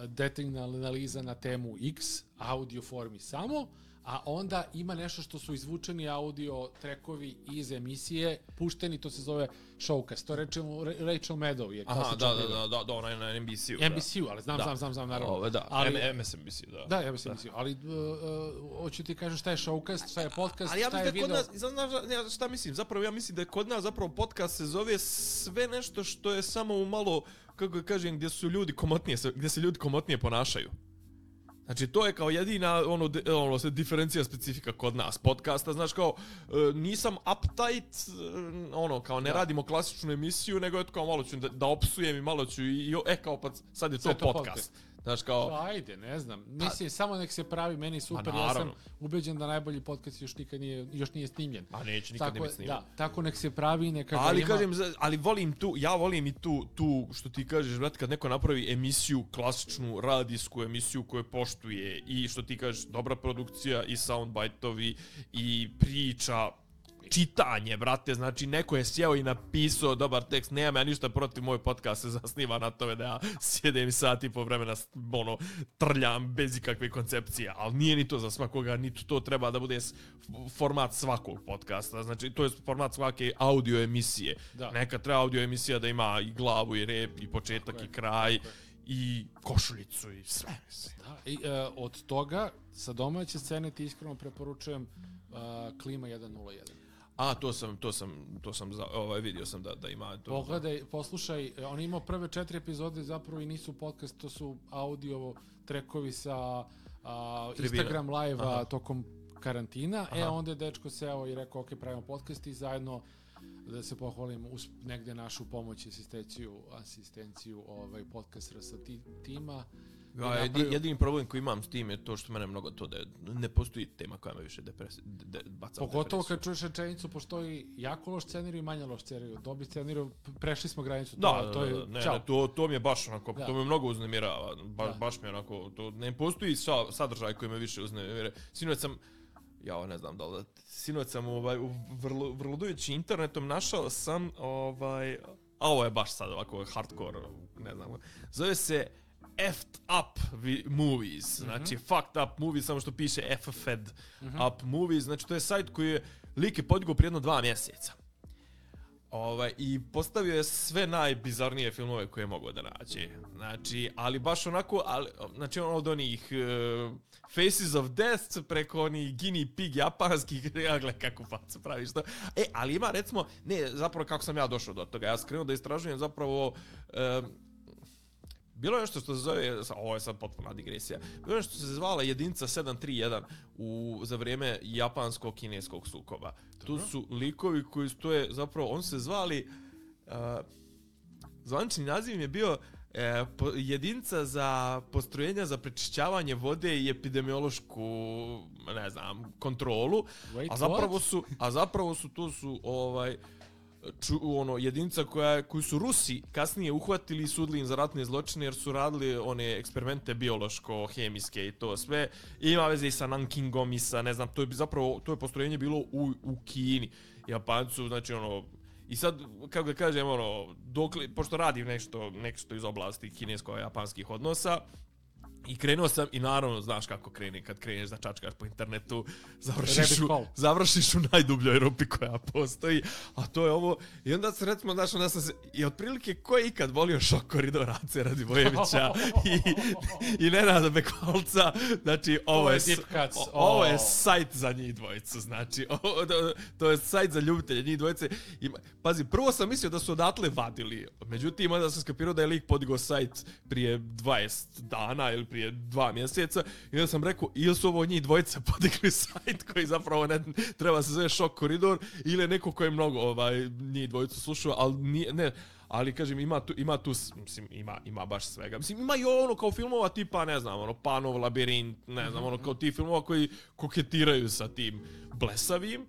detaljna analiza na temu X, audio formi samo, a onda ima nešto što su izvučeni audio trekovi iz emisije, pušteni, to se zove Showcast. To rečemo Rachel Maddow je klasičan. Aha, da, da, da, da, ona je na N B C-u. N B C-u, ali znam, da. znam, znam, znam, naravno. Ove, da, ali, M S N B C, da. Da, ja mislim, mislim, ali uh, uh, hoću ti kažem šta je Showcast, šta je podcast, ali ja šta je video. Kod nas, znaš šta mislim, zapravo ja mislim da je kod nas zapravo podcast se zove sve nešto što je samo u malo, kako kažem, gdje su ljudi komotnije, gdje se ljudi komotnije ponašaju. Znači, to je kao jedina ono, de, ono se diferencija specifika kod nas podcasta, znaš, kao e, nisam uptight, e, ono, kao ne da. radimo klasičnu emisiju, nego eto kao malo ću da, da opsujem i malo ću i, i e, kao pa sad je to, to podcast. podcast. Znaš, kao... Ajde, ne znam, mislim, pa, samo nek se pravi, meni super, ja sam ubeđen da najbolji podcast još nikad nije, još nije snimljen. A neće nikad tako, ne biti snimljen. Da, tako nek se pravi, neka ali ima... kažem, ali volim tu, ja volim i tu, tu što ti kažeš, brate, kad neko napravi emisiju, klasičnu radijsku emisiju koju poštuje i što ti kažeš, dobra produkcija i soundbite-ovi i priča, čitanje, brate, znači neko je sjeo i napisao dobar tekst, nemam ja ništa protiv, moj podcast se zasniva na tome da ja sjedem sat i po vremena ono, trljam bez ikakve koncepcije, ali nije ni to za svakoga, ni to treba da bude format svakog podcasta, znači to je format svake audio emisije, da. Neka treba audio emisija da ima i glavu i rep i početak i kraj i košuljicu i sve. Da, i, uh, od toga sa domaće scene ti iskreno preporučujem uh, Klima jedan nula jedan. A, to sam, to sam, to sam, za, ovaj, vidio sam da, da ima to. Pogledaj, poslušaj, on imao prve četiri epizode, zapravo i nisu podcast, to su audio trekovi sa a, Instagram live-a tokom karantina. Aha. E, onda je dečko seo i rekao, ok, pravimo podcast i zajedno, da se pohvalim, uz negde našu pomoć, asistenciju, asistenciju ovaj, podcast R S tima. Ja, napravio... jedini problem koji imam s tim je to što mene mnogo to da ne postoji tema koja me više depresi, de, baca u pogotovo kad čuješ rečenicu, postoji jako loš scenarij i manje loš scenarij. Dobi scenarij, prešli smo granicu. Da, to, to je, ne, ne, to, to mi je baš onako, da. To me mnogo uznemirava. Ba, baš mi je onako, to ne postoji sa, sadržaj koji me više uznemira. Sinoć sam, ja ne znam da li, sinoć sam ovaj, vrlo, vrludujući internetom našao sam, ovaj, a ovo je baš sad ovako hardcore, ne znam, zove se Effed Up Movies, znači mm-hmm. Fucked Up Movies, samo što piše F F E D mm-hmm. Up Movies, znači to je sajt koji je lik je podigao prije jedno dva mjeseca. Ovaj, i postavio je sve najbizarnije filmove koje je mogao da nađe. Znači, ali baš onako, ali, znači ono od onih uh, Faces of Death preko onih Guinea Pig japanskih, ja gledaj kako facu praviš to. E, ali ima recimo, ne, zapravo kako sam ja došao do toga, ja sam krenuo da istražujem zapravo uh, bilo je nešto što se zove, ovo je sad potpuna digresija, bilo je nešto što se zvala jedinica sedam tri jedan u, za vrijeme japansko-kineskog sukoba. Dobro. Tu su likovi koji stoje, zapravo, on se zvali, uh, zvanični naziv im je bio uh, po, jedinica za postrojenja za prečišćavanje vode i epidemiološku, ne znam, kontrolu, Wait, a zapravo what? su, a zapravo su, to su, ovaj, Ču, ono, jedinica koja, koju su Rusi kasnije uhvatili i sudili im za ratne zločine jer su radili one eksperimente biološko-hemijske i to sve. I ima veze i sa Nankingom i sa, ne znam, to je zapravo, to je postrojenje bilo u, u Kini. Japancu, znači ono, I sad, kako da kažem, ono, dokle, pošto radim nešto, nešto iz oblasti kinesko-japanskih odnosa, i krenuo sam i naravno, znaš kako krene, kad kreneš da čačkaš po internetu, završiš u, završiš u najdubljoj rupi koja postoji, a to je ovo. I onda se recimo, znaš, onda sam se, i otprilike ko je ikad volio Šok koridor Ace Radivojevića i, i Nenada Bekvalca, znači ovo je, o, ovo je sajt za njih dvojicu, znači, ovo, to, to je sajt za ljubitelje njih dvojice. I, pazi, prvo sam mislio da su odatle vadili, međutim, onda sam skapirao da je lik podigao sajt prije dvadeset dana ili prije dva mjeseca i onda sam rekao ili su ovo njih dvojica podigli sajt koji zapravo ne treba se zove Šok koridor ili neko ko je mnogo ovaj, njih dvojicu slušao, ali nije, ne, ali kažem ima tu, ima tu mislim, ima, ima baš svega. Mislim, ima i ono kao filmova tipa, ne znam, ono Panov labirint, ne znam, ono kao ti filmova koji koketiraju sa tim blesavim.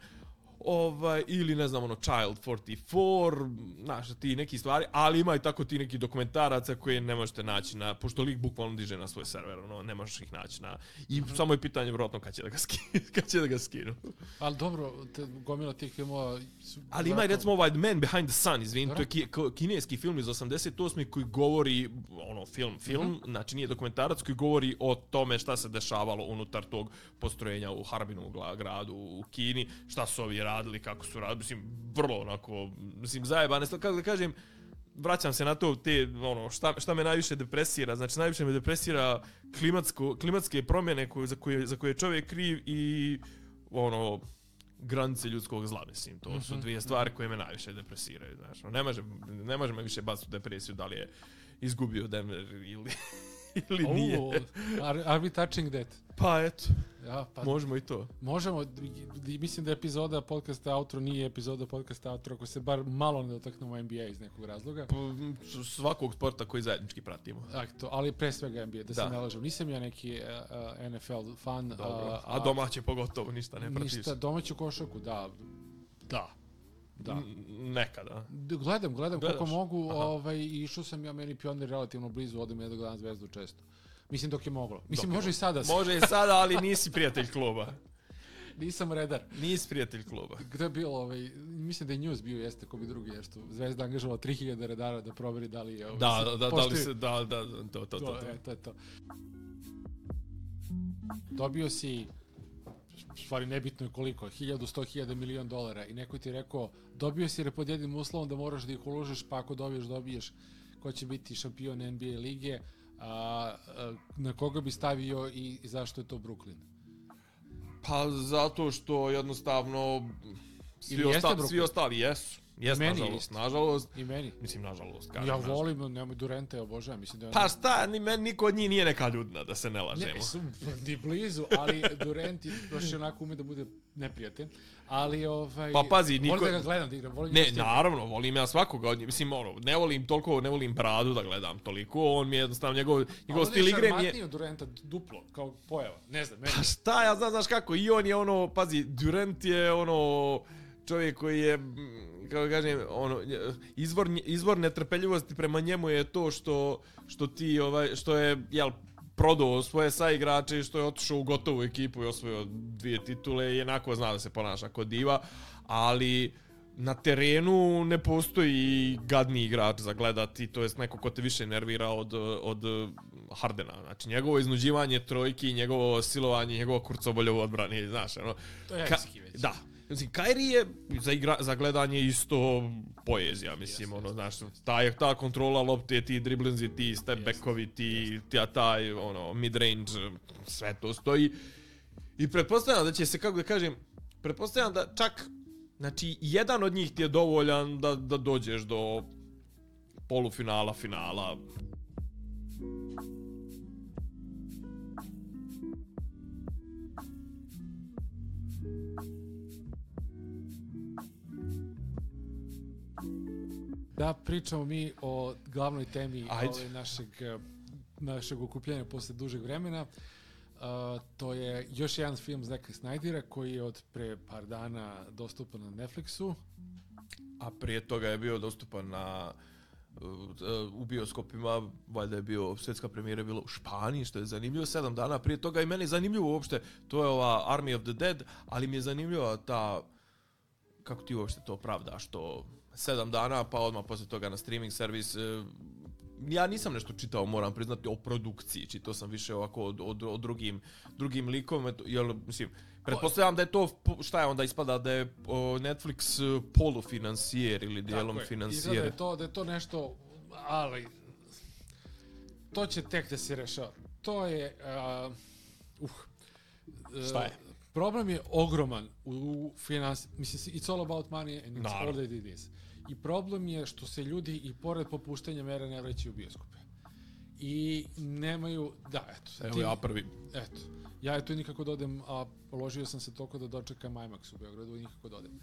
Ovaj, ili ne znam ono Child četrdeset četiri, znaš, ti neki stvari, ali ima i tako ti neki dokumentaraca koje ne možete naći na, pošto lik bukvalno diže na svoj server, ono, ne možeš ih naći na, i mm-hmm. samo je pitanje vjerojatno kad će da ga skinu, kad će da ga skinu. Ali dobro, te, gomila tih filmova su... Ali ima i recimo ovaj Man Behind the Sun, izvin, to je ki, kineski film iz osamdeset osme koji govori, ono, film, film, mm-hmm. znači nije dokumentarac, koji govori o tome šta se dešavalo unutar tog postrojenja u Harbinu gradu u Kini, šta su ovi radili, kako su radili, mislim, vrlo onako, mislim, zajebane, kako da kažem, vraćam se na to, te, ono, šta, šta me najviše depresira, znači, najviše me depresira klimatsko, klimatske promjene koje, za, koje, za koje je čovjek kriv i, ono, granice ljudskog zla, mislim, to su dvije stvari koje me najviše depresiraju, znaš, ne može, ne može me više baciti u depresiju da li je izgubio Denver ili... ili oh, nije. Are, are we touching that? Pa eto, ja, pa, možemo i to. Možemo, mislim da epizoda podcasta Outro nije epizoda podcasta Outro ako se bar malo ne dotaknemo N B A iz nekog razloga. Pa, svakog sporta koji zajednički pratimo. Akto, ali pre svega N B A, da, da. se ne lažem. Nisam ja neki uh, N F L fan. Dobro. A, a domaće pogotovo, ništa ne pratiš. Ništa, domaću košarku, da. Da. Da. N- nekada. Gledam, gledam koliko mogu, ovaj, i išao sam ja, meni Pionir relativno blizu, odem ja da gledam Zvezdu često. Mislim dok je moglo. Mislim, dok može je i sada. Može i sada, ali nisi prijatelj kluba. Nisam redar. Nisi prijatelj kluba. Gde je bilo, ovaj, mislim da je news bio, jeste ko bi drugi, jer što Zvezda angažovala tri hiljade redara da proveri da li je... Ovaj, da, da, da, da li se, da, da, to, to, to. To, to. E, to je to. Dobio si... stvari nebitno je koliko, hiljadu, sto hiljada, milion dolara i neko ti je rekao, dobio si pod jednim uslovom da moraš da ih uložiš, pa ako dobiješ, dobiješ ko će biti šampion N B A lige, a, a, na koga bi stavio i, i zašto je to Brooklyn? Pa zato što jednostavno svi, osta, svi ostali jesu. Jes, nažalost, nažalost. I meni. Mislim, nažalost, kažem. Ja volim, nažalost. Nemoj Durenta, ja obožavam. Mislim da je pa šta, ni meni, niko od njih nije neka ljudna, da se ne lažemo. Ne, su ni blizu, ali Durent baš onako ume da bude neprijatelj. Ali, ovaj... Pa pazi, niko... Volim da ga gledam da igram. Volim ne, naravno, volim ja svakoga od njih. Mislim, ono, ne volim toliko, ne volim Bradu da gledam toliko. On mi je jednostavno, njegov, njegov stil igre mi je... Ali on je šarmatniji od Durenta duplo, kao pojava. Ne znam, meni. Pa šta, ja znam, znaš kako, i on je ono, pazi, Durent je ono... čovjek koji je, kako kažem, ono, izvor, izvor netrpeljivosti prema njemu je to što, što ti, ovaj, što je, jel, prodao svoje saigrače i što je otišao u gotovu ekipu i osvojio dvije titule i jednako zna da se ponaša kod diva, ali na terenu ne postoji gadni igrač za gledati, to jest neko ko te više nervira od, od Hardena. Znači, njegovo iznuđivanje trojki, njegovo silovanje, njegovo kurcobolje u odbrani, znaš, ono... To je jajski već. Da. Mislim, Kyrie je za, igra, za gledanje isto poezija, mislim, yes, ono, znaš, ta, ta kontrola lopte, ti driblinzi, ti step backovi, ti, ti taj, ono, mid-range, sve to stoji. I pretpostavljam da će se, kako da kažem, pretpostavljam da čak, znači, jedan od njih ti je dovoljan da, da dođeš do polufinala, finala. Da pričamo mi o glavnoj temi ove našeg, našeg okupljenja posle dužeg vremena. Uh, to je još jedan film Zacka Snydera koji je od pre par dana dostupan na Netflixu. A prije toga je bio dostupan na uh, u bioskopima, valjda je bio, svjetska premijera je bila u Španiji, što je zanimljivo, sedam dana prije toga i meni je zanimljivo uopšte, to je ova Army of the Dead, ali mi je zanimljiva ta, kako ti uopšte to pravdaš, to sedam dana, pa odmah poslije toga na streaming servis. Ja nisam nešto čitao, moram priznati, o produkciji. Čitao sam više ovako o, o, o drugim, drugim likovima. Jel, mislim, pretpostavljam da je to, šta je onda ispada, da je Netflix polufinancijer ili dijelom financijer. Izgleda je to, da je to nešto, ali to će tek da se rešava. To je, uh, uh, šta je? Problem je ogroman u finansiji, mislim, it's all about money and it's Naravno. all that it is. I problem je što se ljudi i pored popuštanja mera ne vraćaju u bioskope. I nemaju, da, eto. Evo ti, ja prvi. Eto. Ja je tu nikako da odem, a položio sam se toliko da dočekam IMAX u Beogradu i nikako da odem.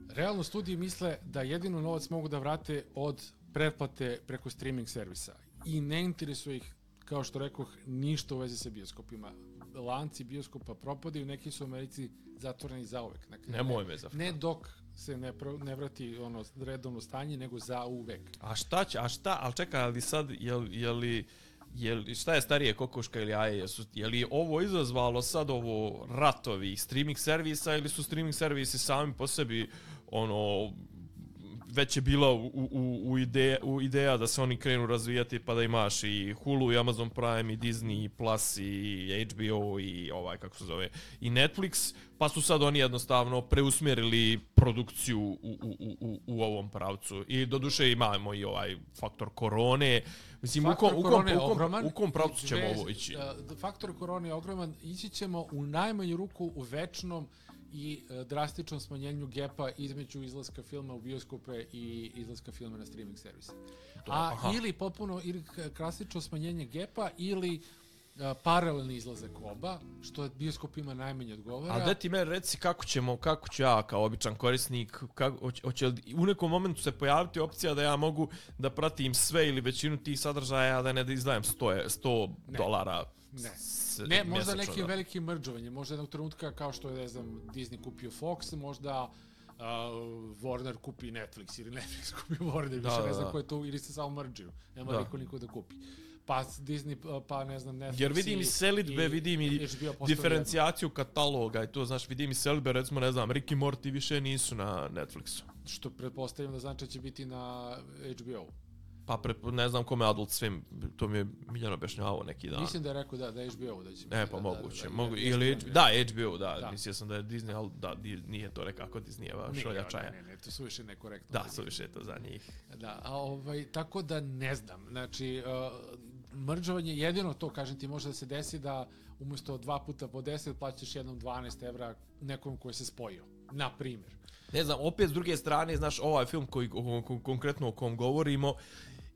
Realno studiji misle da jedino novac mogu da vrate od pretplate preko streaming servisa. I ne interesuje ih, kao što rekoh, ništa u vezi sa bioskopima. Lanci bioskopa propadaju, neki su u Americi zatvoreni zauvek. Dakle, Nemoj me zafra. Ne dok se ne, pro, ne vrati ono redovno stanje, nego za uvek. A šta će, a šta, ali čekaj, ali sad, je, je li, je li, šta je starije, kokoška ili jaje? Jesu, je li ovo izazvalo sad ovo ratovi streaming servisa ili su streaming servisi sami po sebi, ono, već je bila u, u, u, ideja, u ideja da se oni krenu razvijati pa da imaš i Hulu i Amazon Prime i Disney Plus i H B O i ovaj, kako se zove, i Netflix, pa su sad oni jednostavno preusmjerili produkciju u, u, u, u ovom pravcu. I doduše imamo i ovaj faktor korone. Mislim, faktor u kom, korone u kom, u kom, ogroman, u kom pravcu ćemo ovo ići? Faktor korone je ogroman. Ići ćemo u najmanju ruku u večnom i drastičnom smanjenju gepa između izlaska filma u bioskope i izlaska filma na streaming servise. A aha. ili popuno ili klasično smanjenje gepa ili a, paralelni izlazak oba, što bioskopima najmanje odgovara. A da ti meni reci kako ćemo, kako ću ja kao običan korisnik, kako, hoće li u nekom momentu se pojaviti opcija da ja mogu da pratim sve ili većinu tih sadržaja, da ne da izdajem sto dolara? Ne. Ne, možda neki da. veliki mrdžovanje, možda jednog trenutka kao što je, ne znam, Disney kupio Fox, možda uh, Warner kupi Netflix ili Netflix kupi Warner, da, više da, ne znam da. ko je to, ili se samo mrdžuju, nema da. niko niko da kupi. Pa Disney, pa ne znam, Netflix. Jer vidim i selidbe, vidim i diferencijaciju kataloga i to, znaš, vidim i selidbe, recimo, ne znam, Rick i Morty više nisu na Netflixu. Što pretpostavljam da znači će biti na H B O. Pa pre, ne znam kome Adult Swim, to mi je Miljano objašnjavao neki dan. Mislim da je rekao da, da je H B O da će. E, pa da, moguće. Da, da, Mogu, da, ili, da, da, H B O, da. da. Mislio sam da je Disney, ali da, nije to nekako Disneyeva šoljačaja. Ne, ne, ne, to su više nekorektno. Da, su više to za njih. Da, a ovaj, tako da ne znam. Znači, uh, mrdžovanje, jedino to, kažem ti, može da se desi da umjesto dva puta po deset plaćaš jednom dvanaest evra nekom koji se spojio. Na primjer. Ne znam, opet s druge strane, znaš, ovaj film koji konkretno o kom govorimo,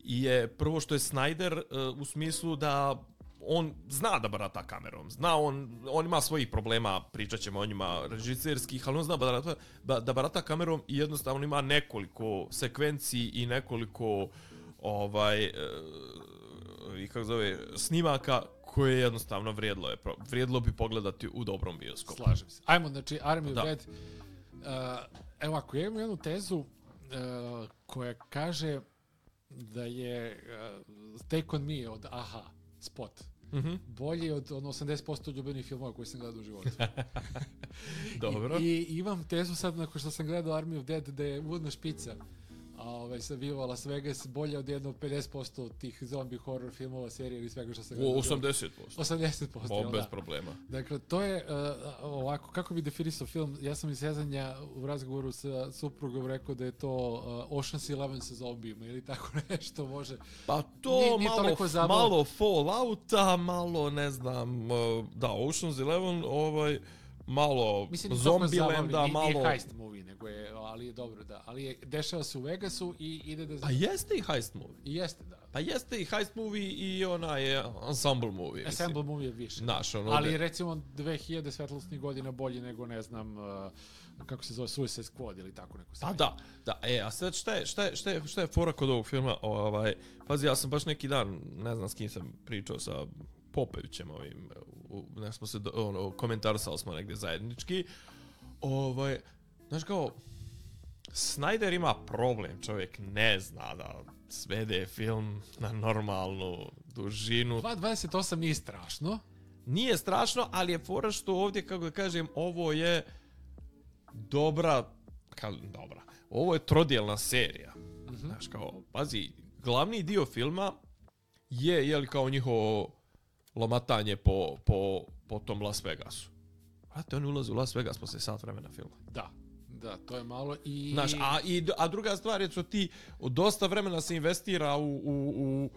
je prvo što je Snyder uh, u smislu da on zna da barata kamerom, zna on, on ima svojih problema, pričat ćemo o njima režiserskih, ali on zna barata, da barata kamerom i jednostavno ima nekoliko sekvenciji i nekoliko ovaj, uh, i kako zove, snimaka koje jednostavno vrijedlo, je, vrijedlo bi pogledati u dobrom bioskopu. Slažem se. Ajmo, znači, Army of Dead. Uh, evo, ako ja imam jednu tezu uh, koja kaže da je uh, Take On Me od Aha, spot, mm-hmm. bolji od ono, osamdeset posto ljubenih filmova koje sam gledao u životu. Dobro. I, I imam tezu sad, nakon što sam gledao Army of Dead, da je uvodna špica a ovaj, sa Viva Las Vegas bolje od jedno pedeset posto tih zombie horror filmova, serije ili svega što sam gledao. osamdeset posto. osamdeset posto, o, bez da. problema. Dakle, to je uh, ovako, kako bi definisao film, ja sam iz sezanja u razgovoru sa suprugom rekao da je to uh, Ocean's Eleven sa zombijima ili tako nešto može. Pa to nije, nije malo, malo Fallouta, malo ne znam, uh, da, Ocean's Eleven, ovaj, malo Zombilanda, malo... Nije heist movie, nego je, ali je dobro, da. Ali je, dešava se u Vegasu i ide da... A jeste i heist movie? I jeste, da. Pa jeste i heist movie i ona je ensemble movie. Ensemble movie je više. Naš, ono ali de... recimo dve hiljade svetlosnih godina bolje nego, ne znam, uh, kako se zove, Suicide Squad ili tako neko. Pa da, da. E, a sad šta je, šta je, šta je, šta je fora kod ovog filma? Ovaj, pazi, ja sam baš neki dan, ne znam s kim sam pričao sa Popovićem ovim, ne smo se, ono, komentarisali smo negdje zajednički. Ovaj, znaš kao, Snyder ima problem, čovjek ne zna da svede film na normalnu dužinu. dva dvadeset osam nije strašno. Nije strašno, ali je fora što ovdje, kako da kažem, ovo je dobra, kao, dobra, ovo je trodjelna serija. Mm-hmm. Znaš, kao, pazi, glavni dio filma je, je li kao njihovo lomatanje po, po, po tom Las Vegasu. Brate, oni ulaze u Las Vegas posle sat vremena filma. Da, da, to je malo i... Znaš, a, i, a druga stvar je što ti dosta vremena se investira u, u, u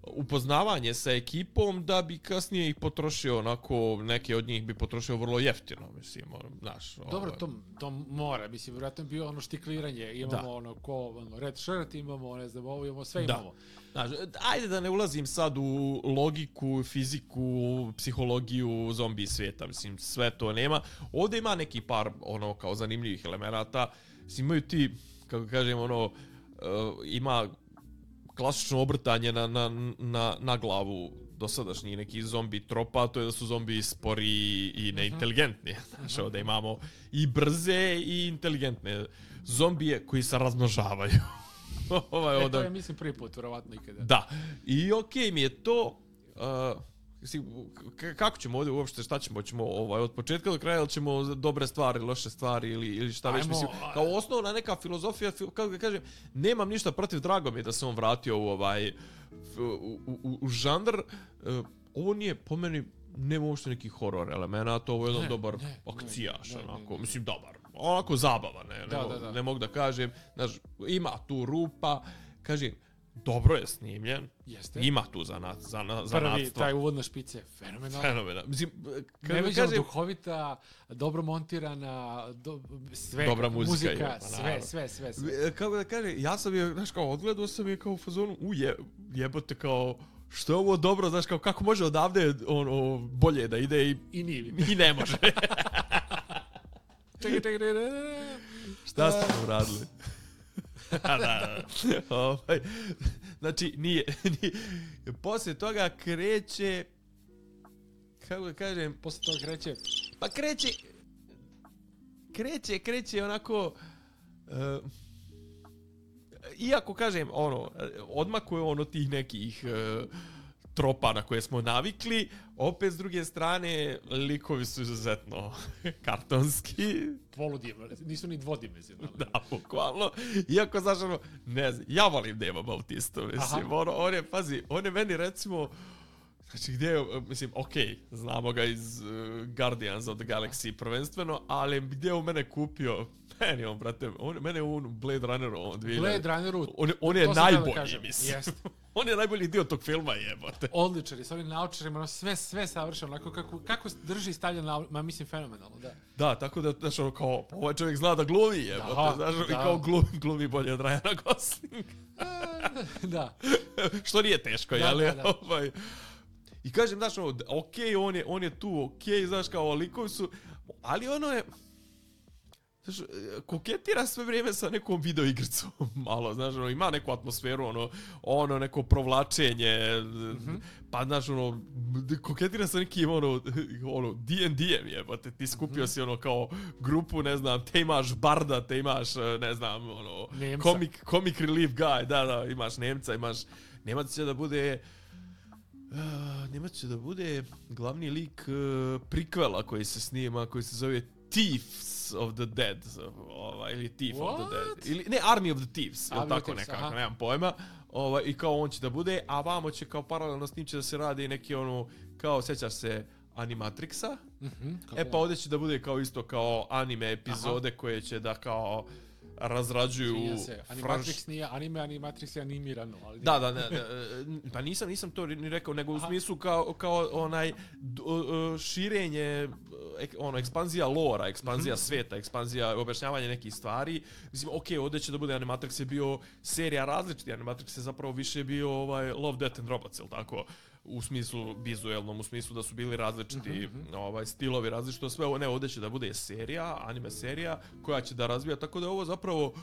upoznavanje sa ekipom da bi kasnije ih potrošio onako, neke od njih bi potrošio vrlo jeftino, mislim, znaš. Dobro, ovaj. to, to mora, mislim, vjerojatno je bio ono štikliranje, imamo da. ono ko, ono, red shirt, imamo, ne znam, ovo imamo, sve imamo. Da. Znaš, ajde da ne ulazim sad u logiku, fiziku, psihologiju zombi svijeta, mislim, sve to nema. Ovdje ima neki par, ono, kao zanimljivih elemenata, mislim, imaju ti, kako kažem, ono, uh, ima klasično obrtanje na, na, na, na glavu dosadašnji neki zombi tropa, to je da su zombi spori i neinteligentni. Uh-huh. Znaš, ovdje imamo i brze i inteligentne zombije koji se razmnožavaju. ovaj, e, to je, mislim, prvi put, vjerovatno ikada. Da. I okej okay, mi je to... Uh, kako ćemo ovdje uopšte, šta ćemo, ćemo ovaj, od početka do kraja, ili ćemo dobre stvari, loše stvari ili, ili šta već, mislim, kao osnovna neka filozofija, kako ga kažem, nemam ništa protiv, drago mi je da se on vratio u ovaj, u, u, u žanr, uh, ovo nije, po meni, nema uopšte neki horor elemenata, ovo je jedan ne, dobar ne, akcijaš, ne, onako, ne, ne. mislim, dobar, onako zabava, ne, da, ne, da, da. ne mogu da kažem, znaš, ima tu rupa, kažem, dobro je snimljen. Jeste. Ima tu za nas, za na, za Prvi, taj uvodna špica je fenomenalna. Fenomenalna. Mislim, neviđeno kažem, duhovita, dobro montirana, do, sve, dobra muzika, muzika je, pa, sve, sve, sve, sve. Kako da kažem, ja sam je, znaš, kao odgledao sam je kao u fazonu, u je, jebote, kao, što je ovo dobro, znaš, kao, kako može odavde ono, bolje da ide i, i, nije, i ne može. čekaj, čekaj, čekaj. Šta ste nam radili? da, da. Ovaj, znači, nije, nije. Poslije toga kreće, kako da kažem, poslije toga kreće, pa kreće, kreće, kreće onako, uh, iako kažem, ono, odmakuje ono tih nekih uh, tropa na koje smo navikli, opet s druge strane, likovi su izuzetno kartonski. Poludimenzionalni, nisu ni dvodimenzionalni. Da, bukvalno. Iako, znaš, ono, ne znam, ja volim Deva Bautista, mislim, ono, on je, pazi, on je meni, recimo, znači, gdje je, mislim, okej, okay, znamo ga iz uh, Guardians of the Galaxy prvenstveno, ali gdje je on mene kupio, meni on, brate, on, mene on Blade Runneru, on dvije... Blade Runneru, on, on je najbolji, da mislim. Jest. On je najbolji dio tog filma, jebote. Odličan je, s ovim naočarima, ono sve, sve savršeno, onako kako, kako drži stavlja na, ma mislim, fenomenalno, da. Da, tako da, znaš, ono, kao, ovaj čovjek zna da glumi, jebote, znaš, da. I kao glumi, glumi bolje od Ryana Goslinga. Da. Što nije teško, da, jel? Da, da. Ovaj... I kažem, znaš, ono, okej, okay, on, je, on je tu, okej, okay, znaš, kao, likovi su, ali ono je, znaš, koketira sve vrijeme sa nekom videoigricom, malo, znaš, ono, ima neku atmosferu, ono, ono, neko provlačenje, mm-hmm. pa, znaš, ono, koketira sa nekim, ono, ono, D and D-em, jebate, ti skupio mm-hmm. si, ono, kao grupu, ne znam, te imaš Barda, te imaš, ne znam, ono, comic, comic relief guy, da, da, imaš Nemca, imaš, Nemac će da bude... Uh, Nemac će da bude glavni lik uh, prikvela koji se snima, koji se zove Thieves of the Dead, ovaj, ili Thief What? of the Dead, ili ne, Army of the Thieves, ili tako Thieves, nekako, aha. nemam pojma, ovaj, i kao on će da bude, a vamo će kao paralelno s njim će da se radi neki ono, kao, sjećaš se Animatrixa, mm-hmm, e pa ovdje će da bude kao isto kao anime epizode aha. koje će da kao razrađuju se. Animatrix franš... nije anime, Animatrix je animirano. Ali da, da, ne, ne, pa nisam, nisam to ni rekao, nego u smislu kao, kao onaj širenje, ono, ekspanzija lora, ekspanzija mm-hmm. sveta, ekspanzija objašnjavanja nekih stvari. Mislim, okej, okay, ovdje će da bude Animatrix je bio serija različiti, Animatrix je zapravo više bio ovaj Love, Death and Robots, ili tako? U smislu vizuelnom, u smislu da su bili različiti mm-hmm. ovaj, stilovi, različito sve ovo, ne, ovdje će da bude serija, anime serija, koja će da razvija, tako da je ovo zapravo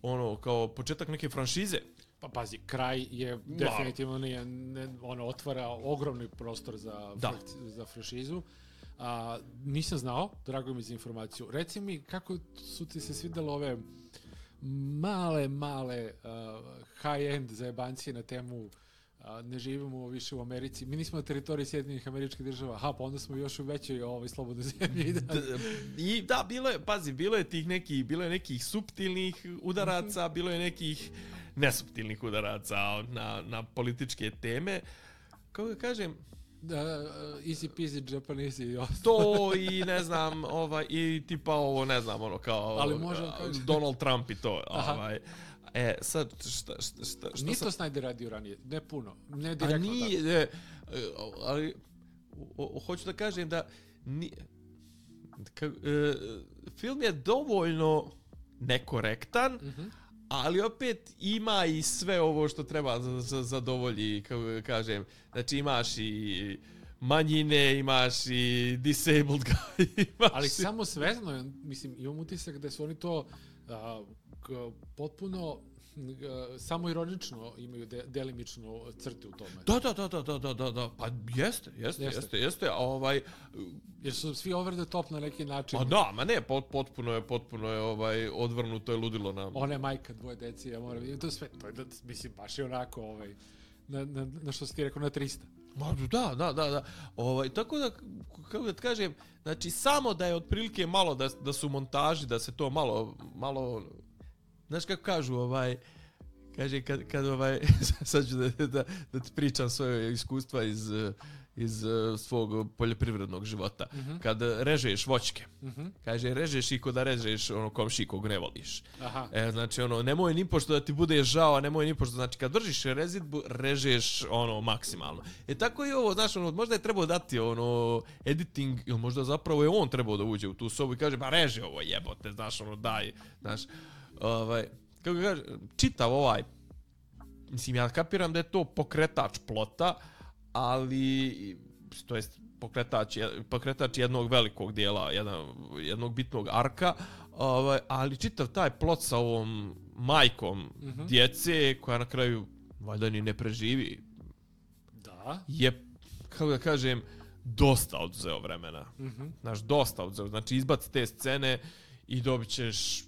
ono, kao početak neke franšize. Pa pazi, kraj je definitivno nije, ne, ono, otvara ogromni prostor za, fr- za franšizu. A, nisam znao, drago mi za informaciju. Reci mi, kako su ti se svidjela ove male, male uh, high-end zajebancije na temu a, ne živimo više u Americi. Mi nismo na teritoriji Sjedinjenih Američkih Država. Aha, pa onda smo još u većoj ovaj, slobodnoj zemlji. Da. I da, bilo je, pazi, bilo je tih nekih, bilo je nekih suptilnih udaraca, mm-hmm. bilo je nekih nesuptilnih udaraca na, na političke teme. Kako da kažem, da, easy peasy Japanese i ostalo. To i ne znam, ovaj, i tipa ovo, ne znam, ono kao ali možem kaži. Donald Trump i to, ovaj. E, sad, šta, šta, šta, šta Nije sam... to Snyder radio ranije, ne puno, ne direktno. A nije, ne, ali, o, o, hoću da kažem da, ni, ka, e, film je dovoljno nekorektan, mm-hmm. ali opet ima i sve ovo što treba za, za, zadovolji, kako kažem, znači imaš i manjine, imaš i disabled guy, imaš ali i... samo svezano, mislim, imam utisak da su oni to a, k, potpuno a, samo ironično imaju de, delimičnu crtu u tome. Da, da, da, da, da, da, da, pa jeste, jeste, jeste, jeste, jeste, ovaj... Jer su svi over the top na neki način. Pa da, ma ne, pot, potpuno je, potpuno je ovaj, odvrnuto je ludilo nam. Ona je majka dvoje deci, ja moram vidjeti, to sve, to je, mislim, baš je onako, ovaj, na, na, na što si ti rekao, na trista. Ma da, da, da, da. Ovaj, tako da, kako da kažem, znači, samo da je otprilike malo, da, da su montaži, da se to malo, malo, znaš kako kažu, ovaj, kaže, kad, kad ovaj, sad ću da, da, da ti pričam svoje iskustva iz, iz svog poljoprivrednog života. Mm-hmm. Kad režeš voćke, mm-hmm. kaže, režeš i ko da režeš ono komši kog ne voliš. Aha. E, znači, ono, nemoj ni pošto da ti bude žao, a nemoj ni pošto, znači, kad držiš rezidbu, režeš, ono, maksimalno. E, tako i ovo, znaš, ono, možda je trebao dati, ono, editing, ili možda zapravo je on trebao da uđe u tu sobu i kaže, pa reže ovo jebote, znaš, ono, daj, znaš, ovaj, kako kaže, čitav ovaj, mislim, ja kapiram da je to pokretač plota, ali, to jest, pokretač, pokretač jednog velikog dijela, jedan, jednog bitnog arka, ovaj, ali čitav taj plot sa ovom majkom mm-hmm. djece, koja na kraju valjda ni ne preživi, da. je, kako da kažem, dosta odzeo vremena. Mm-hmm. Znaš, dosta odzeo. Znači, izbaci te scene i dobit ćeš,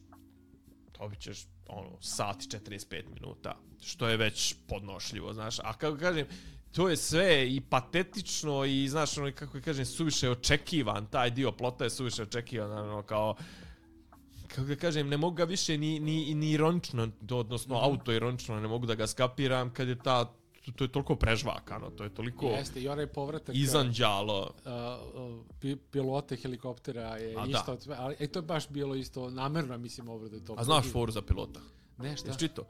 dobit ćeš, ono, sat i četrdeset pet minuta, što je već podnošljivo, znaš. A kako kažem, to je sve i patetično i, znaš, ono, kako kažem, suviše očekivan, taj dio plota je suviše očekivan, ono, kao, kako da kažem, ne mogu ga više ni, ni, ni ironično, odnosno mm-hmm. autoironično, ne mogu da ga skapiram kad je ta, to, to je toliko prežvakano, to je toliko jeste, i onaj povratak izanđalo. Uh, uh, pilote helikoptera je a isto, da. Ali e, to je baš bilo isto namerno, mislim, obrade to. A znaš foru za pilota? Ne, šta? Jesi čito?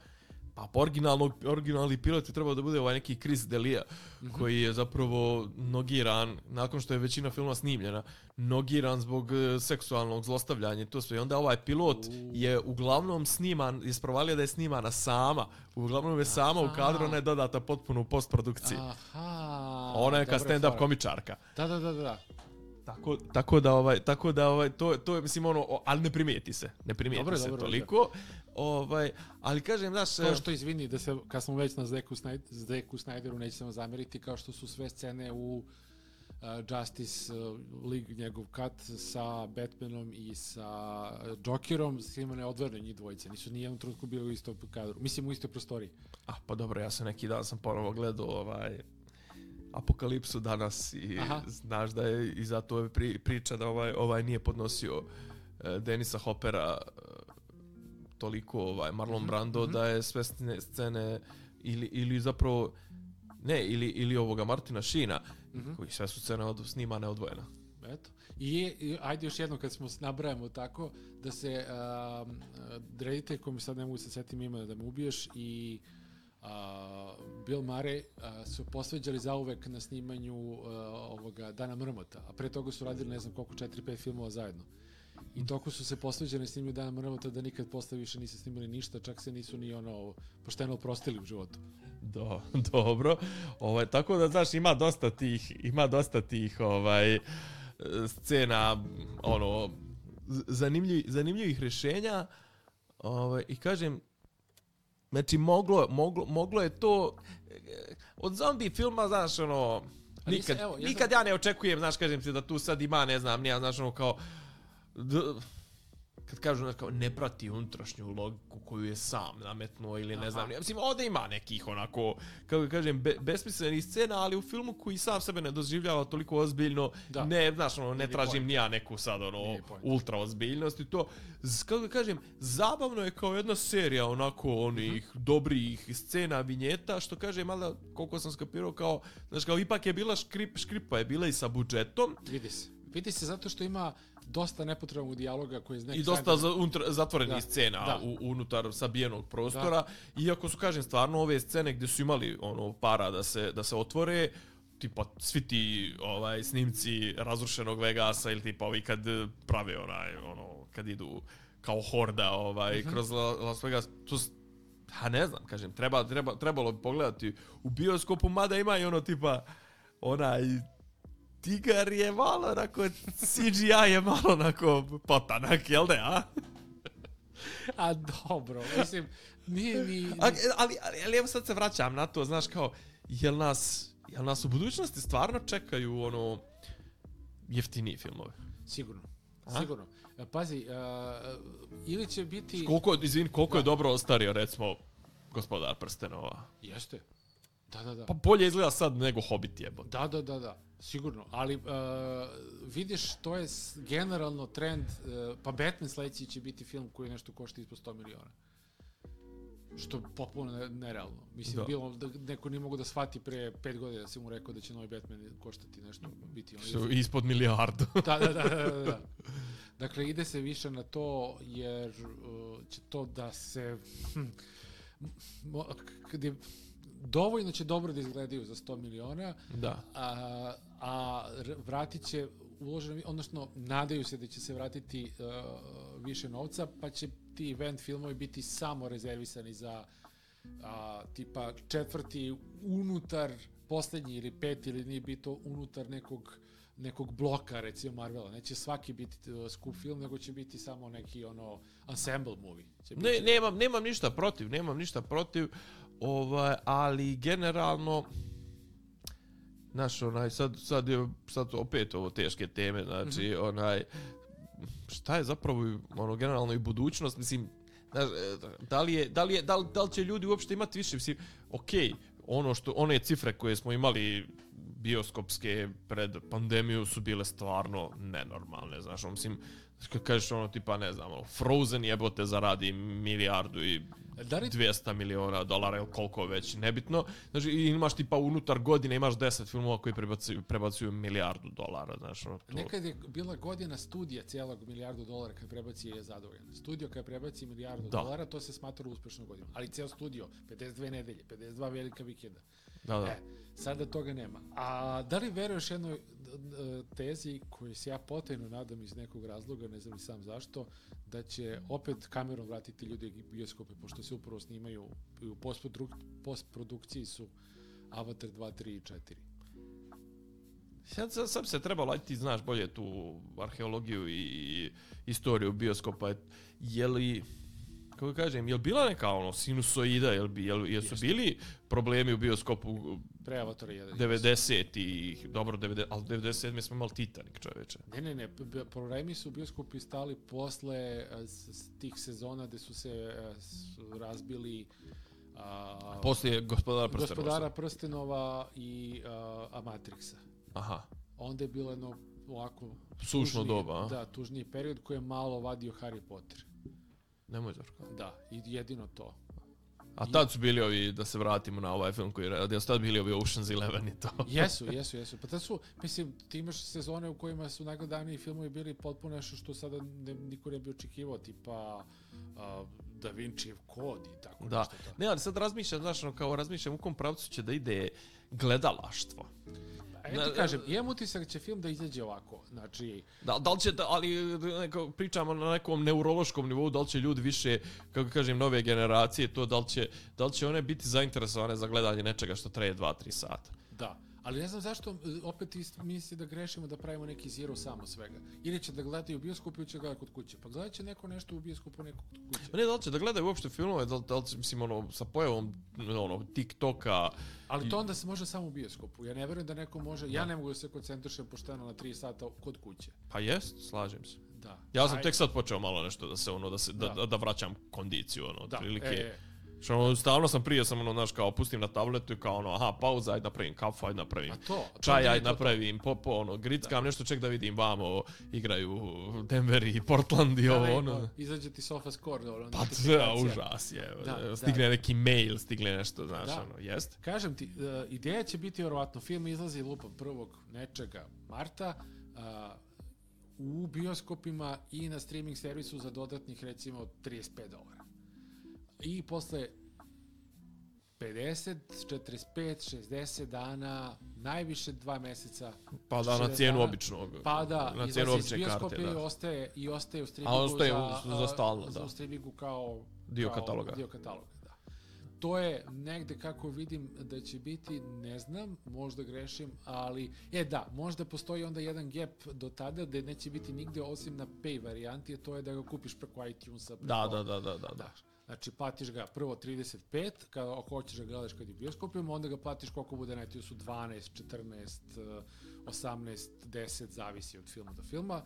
Pa originalno, originalni pilot je trebao da bude ovaj neki Chris D'Elia, mm-hmm. koji je zapravo nogiran, nakon što je većina filma snimljena, nogiran zbog seksualnog zlostavljanja i to sve. I onda ovaj pilot uh. je uglavnom sniman, je sprovalio da je snimana sama. Uglavnom je sama aha. u kadru, ona je dodata potpuno u postprodukciji. Aha. Ona je kao stand-up komičarka. Da, da, da, da. Tako, tako da ovaj tako da ovaj to to je mislim ono, ali ne primijeti se. Ne primijeti dobro, se dobro, toliko. Dobro. Ovaj, ali kažem, znaš, to što izvini da se kad smo već na Zeku Snyderu, Snyderu nećemo zameriti, kao što su sve scene u uh, Justice uh, League, njegov cut sa Batmanom i sa Jokerom, svima ne odvojeno njih dvojice. Nisu ni jednom trenutku bili u istom kadru. Mislim, u istoj prostoriji. A, pa dobro, ja sam neki dan sam ponovo gledao ovaj Apokalipsu danas i aha. znaš da je i zato je pri, priča da ovaj ovaj nije podnosio uh, Denisa Hoppera uh, toliko ovaj Marlon Brando mm-hmm. da je sve scene ili ili zapravo ne ili ili ovoga Martina Sheena mm-hmm. koji sve su scene od snimane odvojeno. Eto. I, i ajde još jedno kad smo nabrajamo tako da se uh, reditelj kom sad ne mogu se setim imena da me ubiješ i Uh, Bill Murray uh, su posveđali zauvek na snimanju uh, ovoga Dana Mrmota, a pre toga su radili ne znam koliko, četiri pet filmova zajedno. I toko su se posveđali na snimanju Dana Mrmota da nikad posle više nisu snimali ništa, čak se nisu ni ono pošteno oprostili u životu. Do, dobro. Ovaj, tako da, znaš, ima dosta tih, ima dosta tih ovaj, scena, ono, zanimljiv, zanimljivih rješenja. Ovaj, I kažem, znači, moglo, moglo, moglo je to od zombi filma, znaš, ono, nikad, se, evo, nikad ja ne očekujem, znaš, kažem ti da tu sad ima, ne znam, nija, znaš, ono, kao, d, kad kažu znači, kao, ne prati unutrašnju logiku koju je sam nametnuo ili ne Aha. znam, ja mislim, ovdje ima nekih onako, kako kažem, be, besmislenih scena, ali u filmu koji sam sebe ne doživljava toliko ozbiljno, Da. ne, znaš, ono, ne Nije tražim point. ni ja neku sad, ono, Nije point. ultra ozbiljnost i to, z- kako kažem, zabavno je kao jedna serija onako onih Mhm. dobrih scena, vinjeta, što kažem, mada, koliko sam skapirao, kao, znaš, kao, ipak je bila škrip, škripa je bila i sa budžetom, Vidi se. Vidi se zato što ima dosta nepotrebnog dijaloga koji je i dosta za, unutra, zatvorenih Da, scena da. u, unutar sabijenog prostora. Iako su, kažem, stvarno ove scene gdje su imali ono para da se, da se otvore, tipa svi ti ovaj, snimci razrušenog Vegasa ili tipa ovi kad prave onaj, ono, kad idu kao horda ovaj, Mhm. kroz La- Las Vegas, to s- ha ne znam, kažem, treba, treba, trebalo bi pogledati u bioskopu, mada ima i ono tipa onaj tigar je malo onako, C G I je malo onako potanak, jel da, a? A dobro, mislim, nije ni... A, ali, ali, ali evo sad se vraćam na to, znaš kao, jel nas, jel nas u budućnosti stvarno čekaju ono jeftiniji filmove? Sigurno, A? sigurno. E, Pazi, uh, ili će biti... Koliko, izvin, koliko je Da. dobro ostario, recimo, Gospodar prstenova? Jeste. Da, da, da. Pa bolje izgleda sad nego Hobbit jebo. Da, da, da, da. Sigurno. Ali uh, vidiš, to je s- generalno trend, uh, pa Batman sledeći će biti film koji nešto košta ispod sto miliona. Što je potpuno ne- nerealno. Mislim, Da. da. bilo da neko nije mogu da shvati pre pet godina da si mu rekao da će novi Batman koštati nešto, biti on. Što ispod milijardu. Da, da, da, da, da, da. Dakle, ide se više na to, jer uh, će to da se... Hm, mo- kad je, dovoljno će dobro da izgledaju za sto miliona, Da. a, a r- vratit će uloženo, odnosno nadaju se da će se vratiti uh, više novca, pa će ti event filmovi biti samo rezervisani za a, tipa četvrti unutar poslednji ili peti ili nije bito unutar nekog nekog bloka, recimo Marvela. Neće svaki biti uh, skup film, nego će biti samo neki ono ensemble movie. Će Ne, biti- nemam, nemam ništa protiv, nemam ništa protiv, ovaj, ali generalno, znaš, onaj, sad, sad je, sad opet ovo teške teme, znači, mm-hmm. onaj, šta je zapravo, ono, generalno i budućnost, mislim, znaš, da li je, da li je, da li, da li će ljudi uopšte imati više, mislim, okej, ono što, one cifre koje smo imali bioskopske pred pandemiju su bile stvarno nenormalne, znaš, ono, mislim, kad kažeš ono, tipa, ne znam, ono, Frozen jebote zaradi milijardu i Da li- dvjesto miliona dolara ili koliko već, nebitno. Znači, i imaš tipa unutar godine, imaš deset filmova koji prebacuju, prebacuju milijardu dolara, znaš, ono, to... Nekad je bila godina studija cijelog milijardu dolara kad prebaci je zadovoljan. Studio kad prebaci milijardu Da. dolara, to se smatra uspešnom godinom. Ali cijel studio, pedeset dve nedelje, pedeset dva velika vikenda. Da, da. E, sada toga nema. A da li veruješ jednoj d- d- tezi koju se ja potajno nadam iz nekog razloga, ne znam ni sam zašto, da će opet kamerom vratiti ljudi u bioskope, pošto se upravo snimaju i u postproduk- postprodukciji su Avatar dva, tri i četiri. Sad, sad, sad bi se trebalo, ajde ti znaš bolje tu arheologiju i istoriju bioskopa, je li, kako kažem, je li bila neka ono sinusoida, je li, bi- je li, jesu Jeste. bili problemi u bioskopu Pre Avatara jedan. devedesetih, dobro, devedeset, ali devedeset sedme smo imali Titanic, čoveče. Ne, ne, ne, b- problemi su u bioskopi stali posle e, s, s tih sezona gde su se e, s- razbili a, Poslije Gospodara prstenova. Gospodara prstenova i a, a Matrixa. Aha. Onda je bilo jedno ovako... Sušno tužniji- doba, a? Da, tužniji period koji je malo vadio Harry Potter. Nemoj Zorko. Da, i jedino to. A tad su bili ovi, da se vratimo na ovaj film koji je radio, su tad bili ovi Ocean's Eleven i to. Jesu, jesu, jesu. Pa tad su, mislim, ti imaš sezone u kojima su najgledaniji filmovi bili potpuno nešto što sada ne, niko ne bi očekivao, tipa a, Da Vincijev kod i tako Da. nešto. Tako. Ne, ali sad razmišljam, znaš, ono, kao razmišljam u kom pravcu će da ide gledalaštvo. A ja ti kažem, imam utisak da će film da izađe ovako, znači... Da, da li će, da, ali neko, pričamo na nekom neurološkom nivou, da li će ljudi više, kako kažem, nove generacije, to da li će, da li će one biti zainteresovane za gledanje nečega što traje dva tri sata. Da, ali ne znam zašto opet ist- misli da grešimo da pravimo neki zero samo svega. Ili će da gledaju u bioskopu ili će gledati kod kuće. Pa gledat će neko nešto u bioskopu, neko kod kuće. Ma ne, da li će da gledaju uopšte filmove, da li, da li će, mislim, ono, sa pojavom, ono, TikToka, Ali to onda se može samo u bioskopu. Ja ne verujem da neko može, ja ne mogu da se koncentrišem pošteno na tri sata kod kuće. pa jest, slažem se. Da. Ja sam Aj, tek sad počeo malo nešto da se ono da se da, Da. da vraćam kondiciju ono da, otprilike. e, e. Što ono, stalno sam prije sam ono, znaš, kao pustim na tabletu i kao ono, aha, pauza, ajde napravim kafu, ajde napravim A to, to čaj, nije ajde to, napravim, po, po, ono, grickam nešto, ček da vidim vamo, igraju Denver i Portland i ovo, Da, ono. izađe ti sofa score, ono, Pa notifikacija. to užas je, Da, stigne da. neki mail, stigne nešto, znaš, Da. ono, jest? Kažem ti, uh, ideja će biti vjerovatno, film izlazi lupa prvog nečega marta, uh, u bioskopima i na streaming servisu za dodatnih recimo trideset pet dolara. I posle pedeset, četrdeset pet, šezdeset dana, najviše dva meseca. Pa da, na šezdeset cijenu dana, običnog, pa da, na cijenu izlazi iz obične bioskopa karte, i da. ostaje, i ostaje u streamingu A ostaje za, u- za stalno, za da. u streamingu kao Dio kao kataloga. Dio kataloga, da. To je negde kako vidim da će biti, ne znam, možda grešim, ali, e da, možda postoji onda jedan gap do tada da neće biti nigde osim na pay varijanti, a to je da ga kupiš preko iTunesa. Preko, Da, da, da, da, da, da. Znači, platiš ga prvo trideset pet, kada ako hoćeš da gledaš kad je u bioskopima, onda ga platiš koliko bude na iTunesu, dvanaest, četrnaest, osamnaest, deset, zavisi od filma do filma.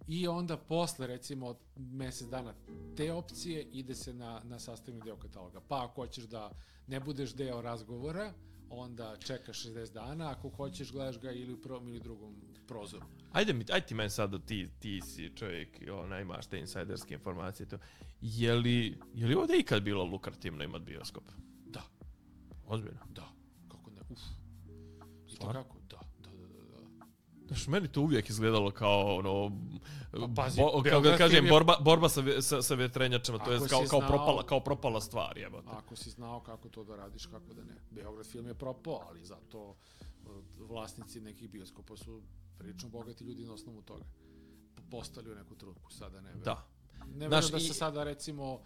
I onda posle, recimo, mesec dana te opcije ide se na, na sastavni deo kataloga. Pa ako hoćeš da ne budeš deo razgovora, onda čekaš šezdeset dana, ako hoćeš gledaš ga ili u prvom ili drugom prozoru. Ajde mi, ajde ti meni sad da ti, ti si čovjek, ona, imaš te insajderske informacije, to. Je li, je li ovdje ikad bilo lukrativno imat bioskop? Da, Ozbiljno. da, kako ne, uf. I to Stvarno? kako? Da, da, da, da, da. Znaš, meni to uvijek izgledalo kao ono, Pa, pazi, bo, kako da Beograd kažem, film je- borba, borba sa, vje- sa, sa vjetrenjačama, to Ako je si kao, kao, znao- propala, kao propala stvar, jebote. Ako si znao kako to da radiš, kako da ne. Beograd film je propao, ali zato uh, vlasnici nekih bioskopa su prilično bogati ljudi na osnovu toga. P- Postali u neku trutku, sada ne verujem. Da. Ne Znaš, verujem da i- se sada, recimo,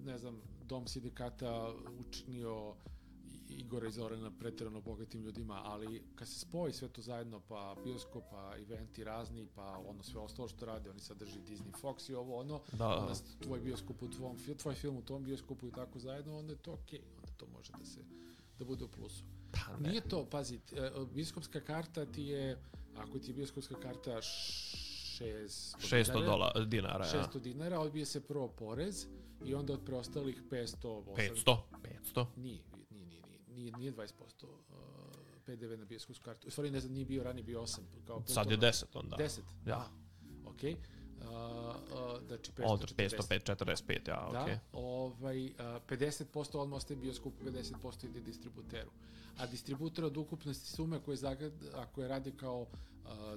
ne znam, Dom sindikata učinio Igora i Zorana pretjerano bogatim ljudima, ali kad se spoji sve to zajedno, pa bioskop, pa eventi razni, pa ono sve ostalo što rade, oni sad drži Disney, Fox i ovo ono, Da. onda tvoj bioskop u tvom, fi- tvoj film u tom bioskopu i tako zajedno, onda je to okej, onda to može da se, da bude u plusu. Pa ne. Nije to, pazi, t- e, bioskopska karta ti je, ako ti je bioskopska karta šesto šesto dolara, dinara, ja. šesto dinara, odbije se prvo porez i onda od preostalih petsto, osam petsto? petsto? Nije, nije, nije, nije, nije, nije dvadeset posto uh, P D V na bioskopsku kartu. U stvari, ne znam, nije bio ranije, bio osam. Kao Sad je deset onda. deset? Ja. Ok. Uh, uh, znači, Onda petsto petsto četrdeset. četrdeset pet, ja, Da, okej. ovaj, uh, pedeset posto odmah ostaje bioskopu, pedeset posto ide distributeru. A distributer od ukupne sume koje, zagad, ako je radi kao uh,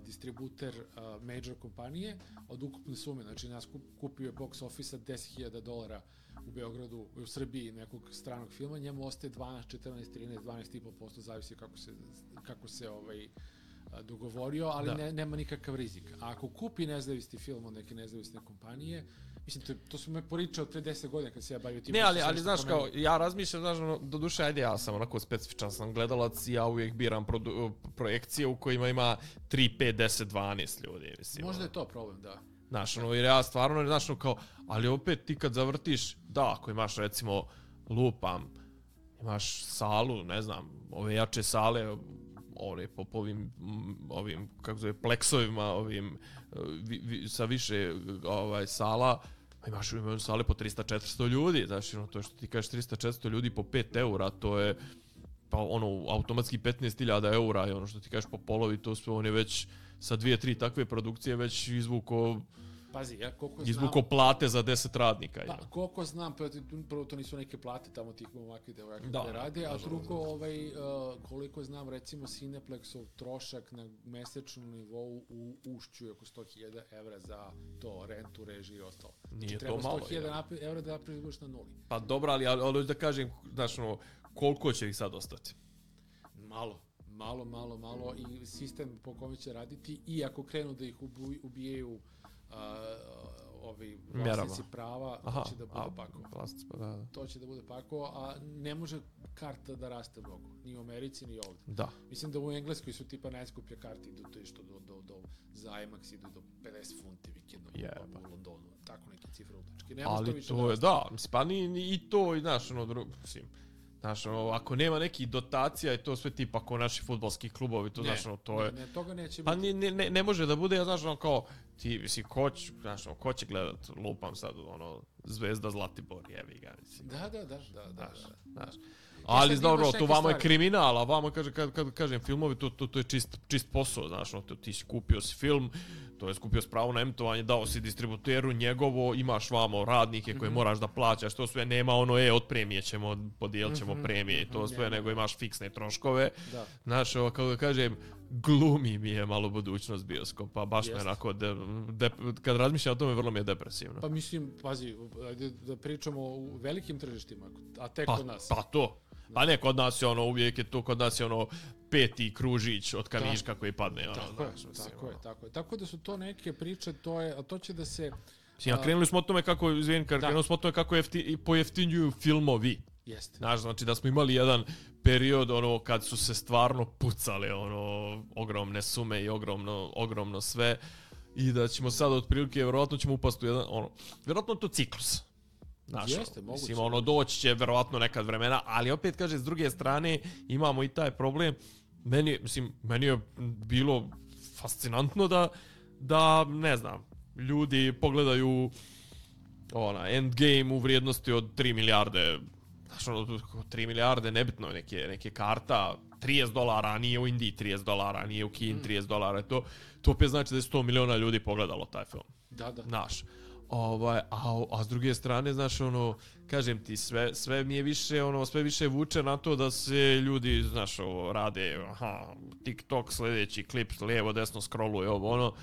distributer uh, major kompanije, od ukupne sume, znači nas kup, kupio je box office deset hiljada dolara u Beogradu, u Srbiji nekog stranog filma, njemu ostaje dvanaest, četrnaest, trinaest, dvanaest i po posto, zavisi kako se, kako se ovaj, a, dogovorio, ali Da. ne, nema nikakav rizik. A ako kupi nezavisni film od neke nezavisne kompanije, mislim, to, to su me poričao pre deset godina kad se ja bavio tim. Ne, ali, što sam ali nešto znaš, kao, pomenuo. ja razmišljam, znaš, ono, do duše, ajde, ja sam onako specifičan sam gledalac i ja uvijek biram produ, projekcije u kojima ima tri, pet, deset, dvanaest ljudi, mislim. Možda ono. je to problem, da. Znaš, ono, jer ja stvarno, znaš, ono, kao, ali opet ti kad zavrtiš, da, ako imaš, recimo, lupam, imaš salu, ne znam, ove jače sale, ove, po, po ovim, mm, ovim, kako zove, pleksovima, ovim, vi, vi, sa više, ovaj, sala, pa imaš u sale po tristo četiristo ljudi, znaš, ono, to što ti kažeš tristo četiristo ljudi po pet eura, to je, pa ono, automatski petnaest hiljada eura, i ono što ti kažeš po polovi, to sve, on je već sa dvije, tri takve produkcije već izvuko, Pazi, ja koliko znam... izvuko plate za deset radnika. Pa, Pa, koliko znam, prvo, prvo to nisu neke plate tamo tih momaka da Da, koje rade, a nažalost, drugo, ovaj, uh, koliko znam, recimo Cineplexov trošak na mesečnom nivou u Ušću je oko sto hiljada evra za to, rentu, režiju i ostalo. Nije treba to malo, sto hiljada ja. evra da napraviš na nuli. pa dobro, ali, ali, ali da kažem, znaš, ono, koliko će ih sad ostati? Malo, malo, malo, malo i sistem po kome će raditi i ako krenu da ih ubu, ubijaju uh, ovi vlasnici Mjerama. prava, Aha, to će da bude a, pako. vlasnici, pa da, da. To će da bude pako, a ne može karta da raste mnogo, ni u Americi, ni ovdje. Da. Mislim da u Engleskoj su tipa najskuplje karte, idu to što do, do, do, za IMAX idu do pedeset funti vikendom Jeba. u Londonu, tako neke cifre utečke. Nema Ali što više to je, raste. da, mislim, pa ni, ni i to, i znaš, ono, drugo, mislim, Znaš, ono, ako nema nekih dotacija i to sve tipa ako naši fudbalski klubovi, to, ne, znaš, ono, to je... Ne, ne, toga neće pa biti. ne, ne, ne može da bude, znaš, ono, kao, ti, mislim, ko će, znaš, ono, ko će gledat, lupam sad, ono, Zvezda Zlatibor, jevi ga, mislim. Da, da, da, da, da. Znaš, da. znaš. Ali, dobro, to vamo je stvari. kriminal, a vamo, kaže, kad, kad kažem filmovi, to, to, to je čist, čist posao, znaš, ono, ti si kupio si film, to je skupio s pravo na emitovanje, dao si distributeru njegovo, imaš vamo radnike koje mm-hmm. moraš da plaćaš, to sve nema ono, e, od premije ćemo, podijelit ćemo mm-hmm. premije i to sve, mm-hmm. nego imaš fiksne troškove. Da. Znaš, ovo, kako da kažem, glumi mi je malo budućnost bioskopa, baš Jest. me onako, de, de, kad razmišljam o tome, vrlo mi je depresivno. Pa mislim, pazi, da pričamo o velikim tržištima, a tek pa, kod nas. Pa to. Pa ne, kod nas je ono, uvijek je to, kod nas je ono peti kružić od kamiška koji padne. Ono, tako, znaš, je, mislim, tako ono. je, tako je. Tako da su to neke priče, to je, a to će da se... Ja, krenuli smo o tome kako, izvijem, krenuli smo o tome kako jefti, pojeftinjuju filmovi. Jeste. Znaš, znači da smo imali jedan period ono kad su se stvarno pucale ono ogromne sume i ogromno ogromno sve i da ćemo sad otprilike vjerovatno ćemo upasti u jedan ono vjerovatno to ciklus. Znaš, Jeste, moguće. Mislim, ono, doći će verovatno nekad vremena, ali opet, kaže, s druge strane, imamo i taj problem. Meni, mislim, meni je bilo fascinantno da, da ne znam, ljudi pogledaju ona, Endgame u vrijednosti od tri milijarde, znaš, ono, tri milijarde, nebitno, neke, neke karta, trideset dolara, a nije u Indiji trideset dolara, nije u Kini trideset dolara, to, to opet znači da je sto miliona ljudi pogledalo taj film. Da, da. Znaš. Ovaj, a, a s druge strane, znaš, ono, kažem ti, sve, sve mi je više, ono, sve više vuče na to da se ljudi, znaš, ovo, rade, aha, TikTok, sljedeći klip, lijevo, desno, scrolluje, ovo, ono,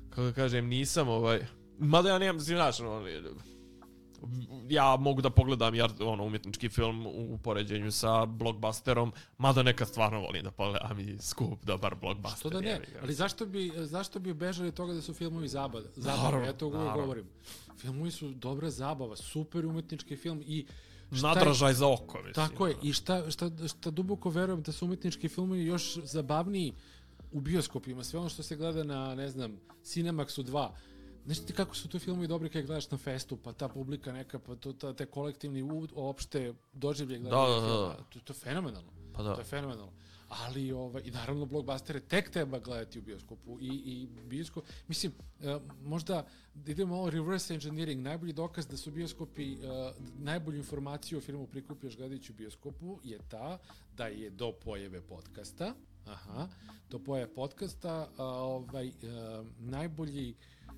kako kažem, nisam, ovaj, mada ja nemam, znaš, ono, ja mogu da pogledam jer, ono, umjetnički film u poređenju sa blockbusterom, mada nekad stvarno volim da pogledam i skup dobar blockbuster. Što da ne, ali zašto bi, zašto bi bežali od toga da su filmovi zabava? Zabava, ja to uvijek govorim. Filmovi su dobra zabava, super umjetnički film i nadražaj za oko, mislim. Tako je, i šta, šta, šta duboko verujem da su umjetnički filmovi još zabavniji u bioskopima. Sve ono što se gleda na, ne znam, Cinemaxu dva. Znaš ti kako su to filmovi dobri kada gledaš na festu, pa ta publika neka, pa to, ta, te kolektivni uopšte doživlje gledanja da, da, filma. da. To, to je fenomenalno. Pa da. To je fenomenalno. Ali, ovaj, i naravno, blockbustere tek treba gledati u bioskopu. I, i bioskop, mislim, uh, možda idemo ovo reverse engineering, najbolji dokaz da su bioskopi, uh, najbolju informaciju o filmu prikupljaš gledajući u bioskopu je ta da je do pojave podcasta, aha, do pojave podcasta, uh, ovaj, uh, najbolji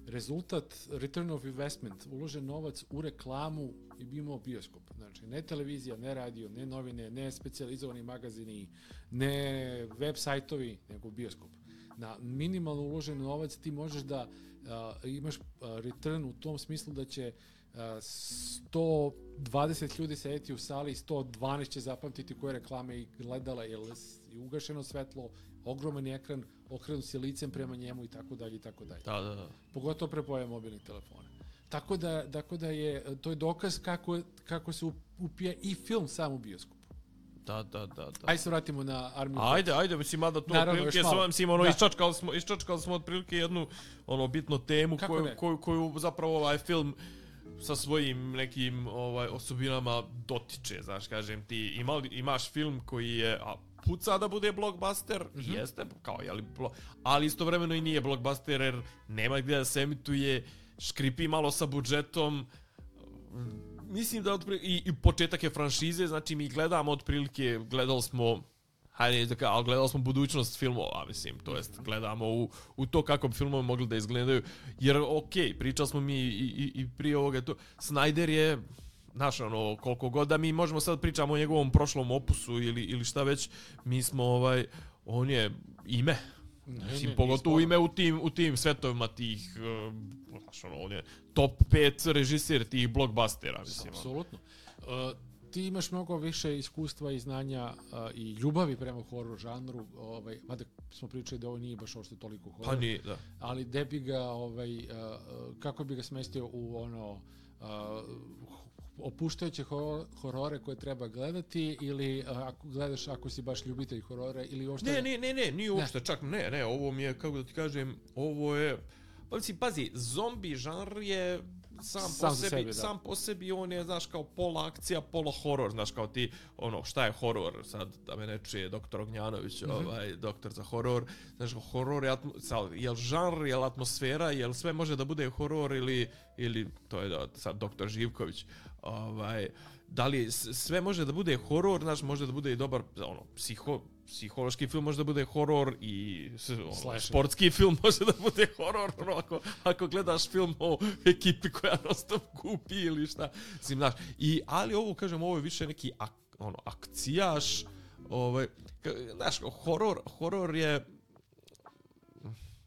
rezultat, return of investment, uložen novac u reklamu i bi imao bioskop. Znači, ne televizija, ne radio, ne novine, ne specijalizovani magazini, ne web sajtovi, nego bioskop. Na minimalno uložen novac ti možeš da uh, imaš uh, return u tom smislu da će uh, sto dvadeset ljudi sedeti u sali, sto dvanaest će zapamtiti koje reklame i gledala, jer je ugašeno svetlo, ogroman ekran, okrenut si licem prema njemu i tako dalje i tako dalje. Da, da, da. Pogotovo prepoje mobilnih telefona. Tako da, tako da je, to je dokaz kako, kako se upija i film sam u bioskopu. Da, da, da, da. Ajde se vratimo na Armiju. Ajde, ajde, mislim, mada to otprilike s ovim, mislim, ono, iščačkali smo, iščačkali smo otprilike jednu, ono, bitnu temu koju, koju, koju zapravo ovaj film sa svojim nekim ovaj osobinama dotiče, znaš, kažem ti, ima, imaš film koji je, a, puca da bude blockbuster, mm-hmm. jeste, kao, jeli, ali istovremeno i nije blockbuster, jer nema gdje da se emituje, škripi malo sa budžetom, mislim da otprilike, i, i početak je franšize, znači mi gledamo otprilike, gledali smo, hajde da kažem, ali gledali smo budućnost filmova, mislim, to jest gledamo u, u to kako bi filmovi mogli da izgledaju, jer okej, okay, pričali smo mi i, i, i prije ovoga, to, Snyder je, znaš, ono, koliko god da mi možemo sad pričamo o njegovom prošlom opusu ili, ili šta već, mi smo, ovaj, on je ime, ne, mislim, ne, pogotovo ime u tim, u tim svetovima tih, uh, znaš, ono, on je top pet režiser tih blockbustera, mislim. Apsolutno. Uh, ti imaš mnogo više iskustva i znanja uh, i ljubavi prema horror žanru, ovaj, mada smo pričali da ovo nije baš ošte toliko horror. Pa nije, da. Ali gde bi ga, ovaj, uh, kako bi ga smestio u ono, uh, opuštajuće horor, horore koje treba gledati ili uh, ako gledaš ako si baš ljubitelj horora ili uopšte... Ne, ne, ne, ne, nije uopšte, ne. čak ne, ne, ovo mi je, kako da ti kažem, ovo je, pa mislim, pazi, zombi žanr je sam, sam po sebi, sebi, sam po sebi on je, znaš, kao pola akcija, pola horor, znaš, kao ti, ono, šta je horor, sad, da me ne čuje doktor Ognjanović, mm-hmm. ovaj, doktor za horor, znaš, horor je, atmo, sad, je li žanr, je li atmosfera, je li sve može da bude horor ili, ili to je da, sad doktor Živković, ovaj, da li sve može da bude horor, znaš, može da bude i dobar, ono, psiho, psihološki film može da bude horor i ono, sportski film može da bude horor, ono, ako, ako gledaš film o ekipi koja non-stop kupi ili šta, mislim, znaš, i, ali ovo, kažem, ovo je više neki ak, ono, akcijaš, ovaj, znaš, horor, horor je,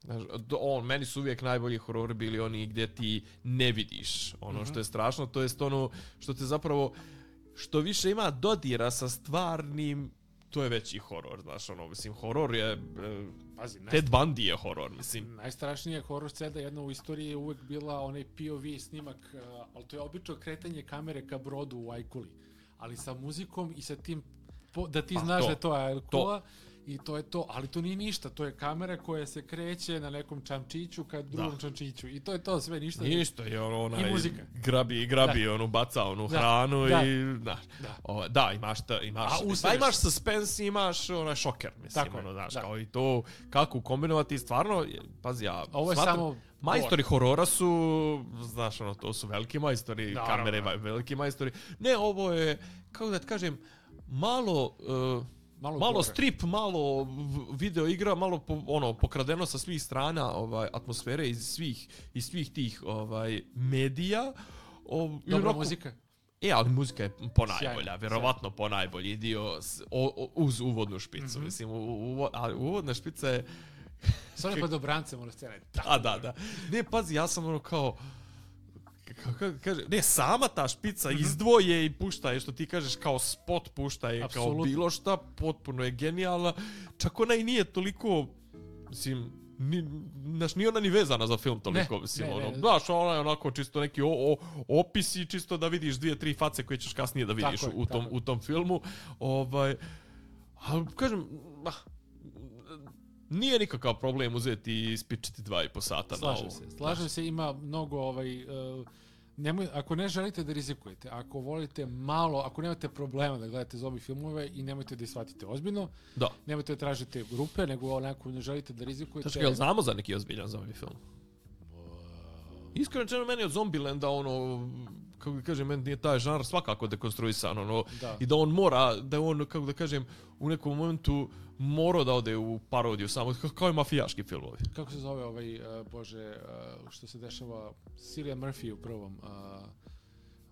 znaš, on, meni su uvijek najbolji horori bili oni gdje ti ne vidiš ono mm-hmm. što je strašno, to jest ono što te zapravo, što više ima dodira sa stvarnim, to je veći horor, znaš, ono, mislim, horor je, Pazi, Ted Bundy je horor, mislim. Najstrašnija horor scena jedna u istoriji je uvek bila onaj P O V snimak, ali to je obično kretanje kamere ka brodu u Ajkuli, ali sa muzikom i sa tim, da ti pa, znaš to, da je to Ajkula, i to je to, ali to nije ništa, to je kamera koja se kreće na nekom čamčiću ka drugom da. čamčiću i to je to sve, ništa. Ništa, je ono, onaj, i muzika. Grabi, grabi, da. ono, baca onu da. hranu da. i, znaš, da. O, da, imaš, ta, imaš, pa imaš suspense, imaš onaj šoker, mislim, tako ono, znaš, da. kao i to, kako kombinovati, stvarno, pazi, ja ovo je smatram, samo majstori horora su, znaš, ono, to su veliki majstori, da, kamere, da. veliki majstori, ne, ovo je, kako da ti kažem, malo... Uh, Malo, malo strip, malo video igra, malo po, ono pokradeno sa svih strana, ovaj atmosfere iz svih iz svih tih ovaj medija. O, Dobra onako, muzika. E, ali muzika je ponajbolja, vjerovatno ponajbolji dio s, o, o, uz uvodnu špicu, mm-hmm. mislim, u, u, ali uvodna špica je sve pa dobrance mora scena. A da, da. Ne, pazi, ja sam ono kao kako kaže, ne, sama ta špica mm-hmm. izdvoje i pušta je, što ti kažeš, kao spot pušta je, Absolutno. kao bilo šta, potpuno je genijalna. Čak ona i nije toliko, mislim, ni, znaš, nije ona ni vezana za film toliko, ne, mislim, ne, ono, ne. Znaš, ona je onako čisto neki o, o, opisi, čisto da vidiš dvije, tri face koje ćeš kasnije da vidiš tako u, tom, u tom filmu. Ovaj, ali, kažem, ah, nije nikakav problem uzeti i ispičiti dva i po sata slažem na ovo. Se, slažem se, ima mnogo, ovaj, uh, nemoj, ako ne želite da rizikujete, ako volite malo, ako nemate problema da gledate zombie filmove i nemojte da ih shvatite ozbiljno, da. Nemojte da tražite grupe, nego onako ne želite da rizikujete. Znači, jel znamo za neki ozbiljan zombie film? Wow. Iskreno rečeno, meni od Zombilanda, ono, kako da kažem, meni je taj žanr svakako dekonstruisan, ono, da. I da on mora, da on, kako da kažem, u nekom momentu morao da ode u parodiju samo, kao i mafijaški filmovi. Kako se zove ovaj, uh, bože, uh, što se dešava, Cillian Murphy u prvom, uh,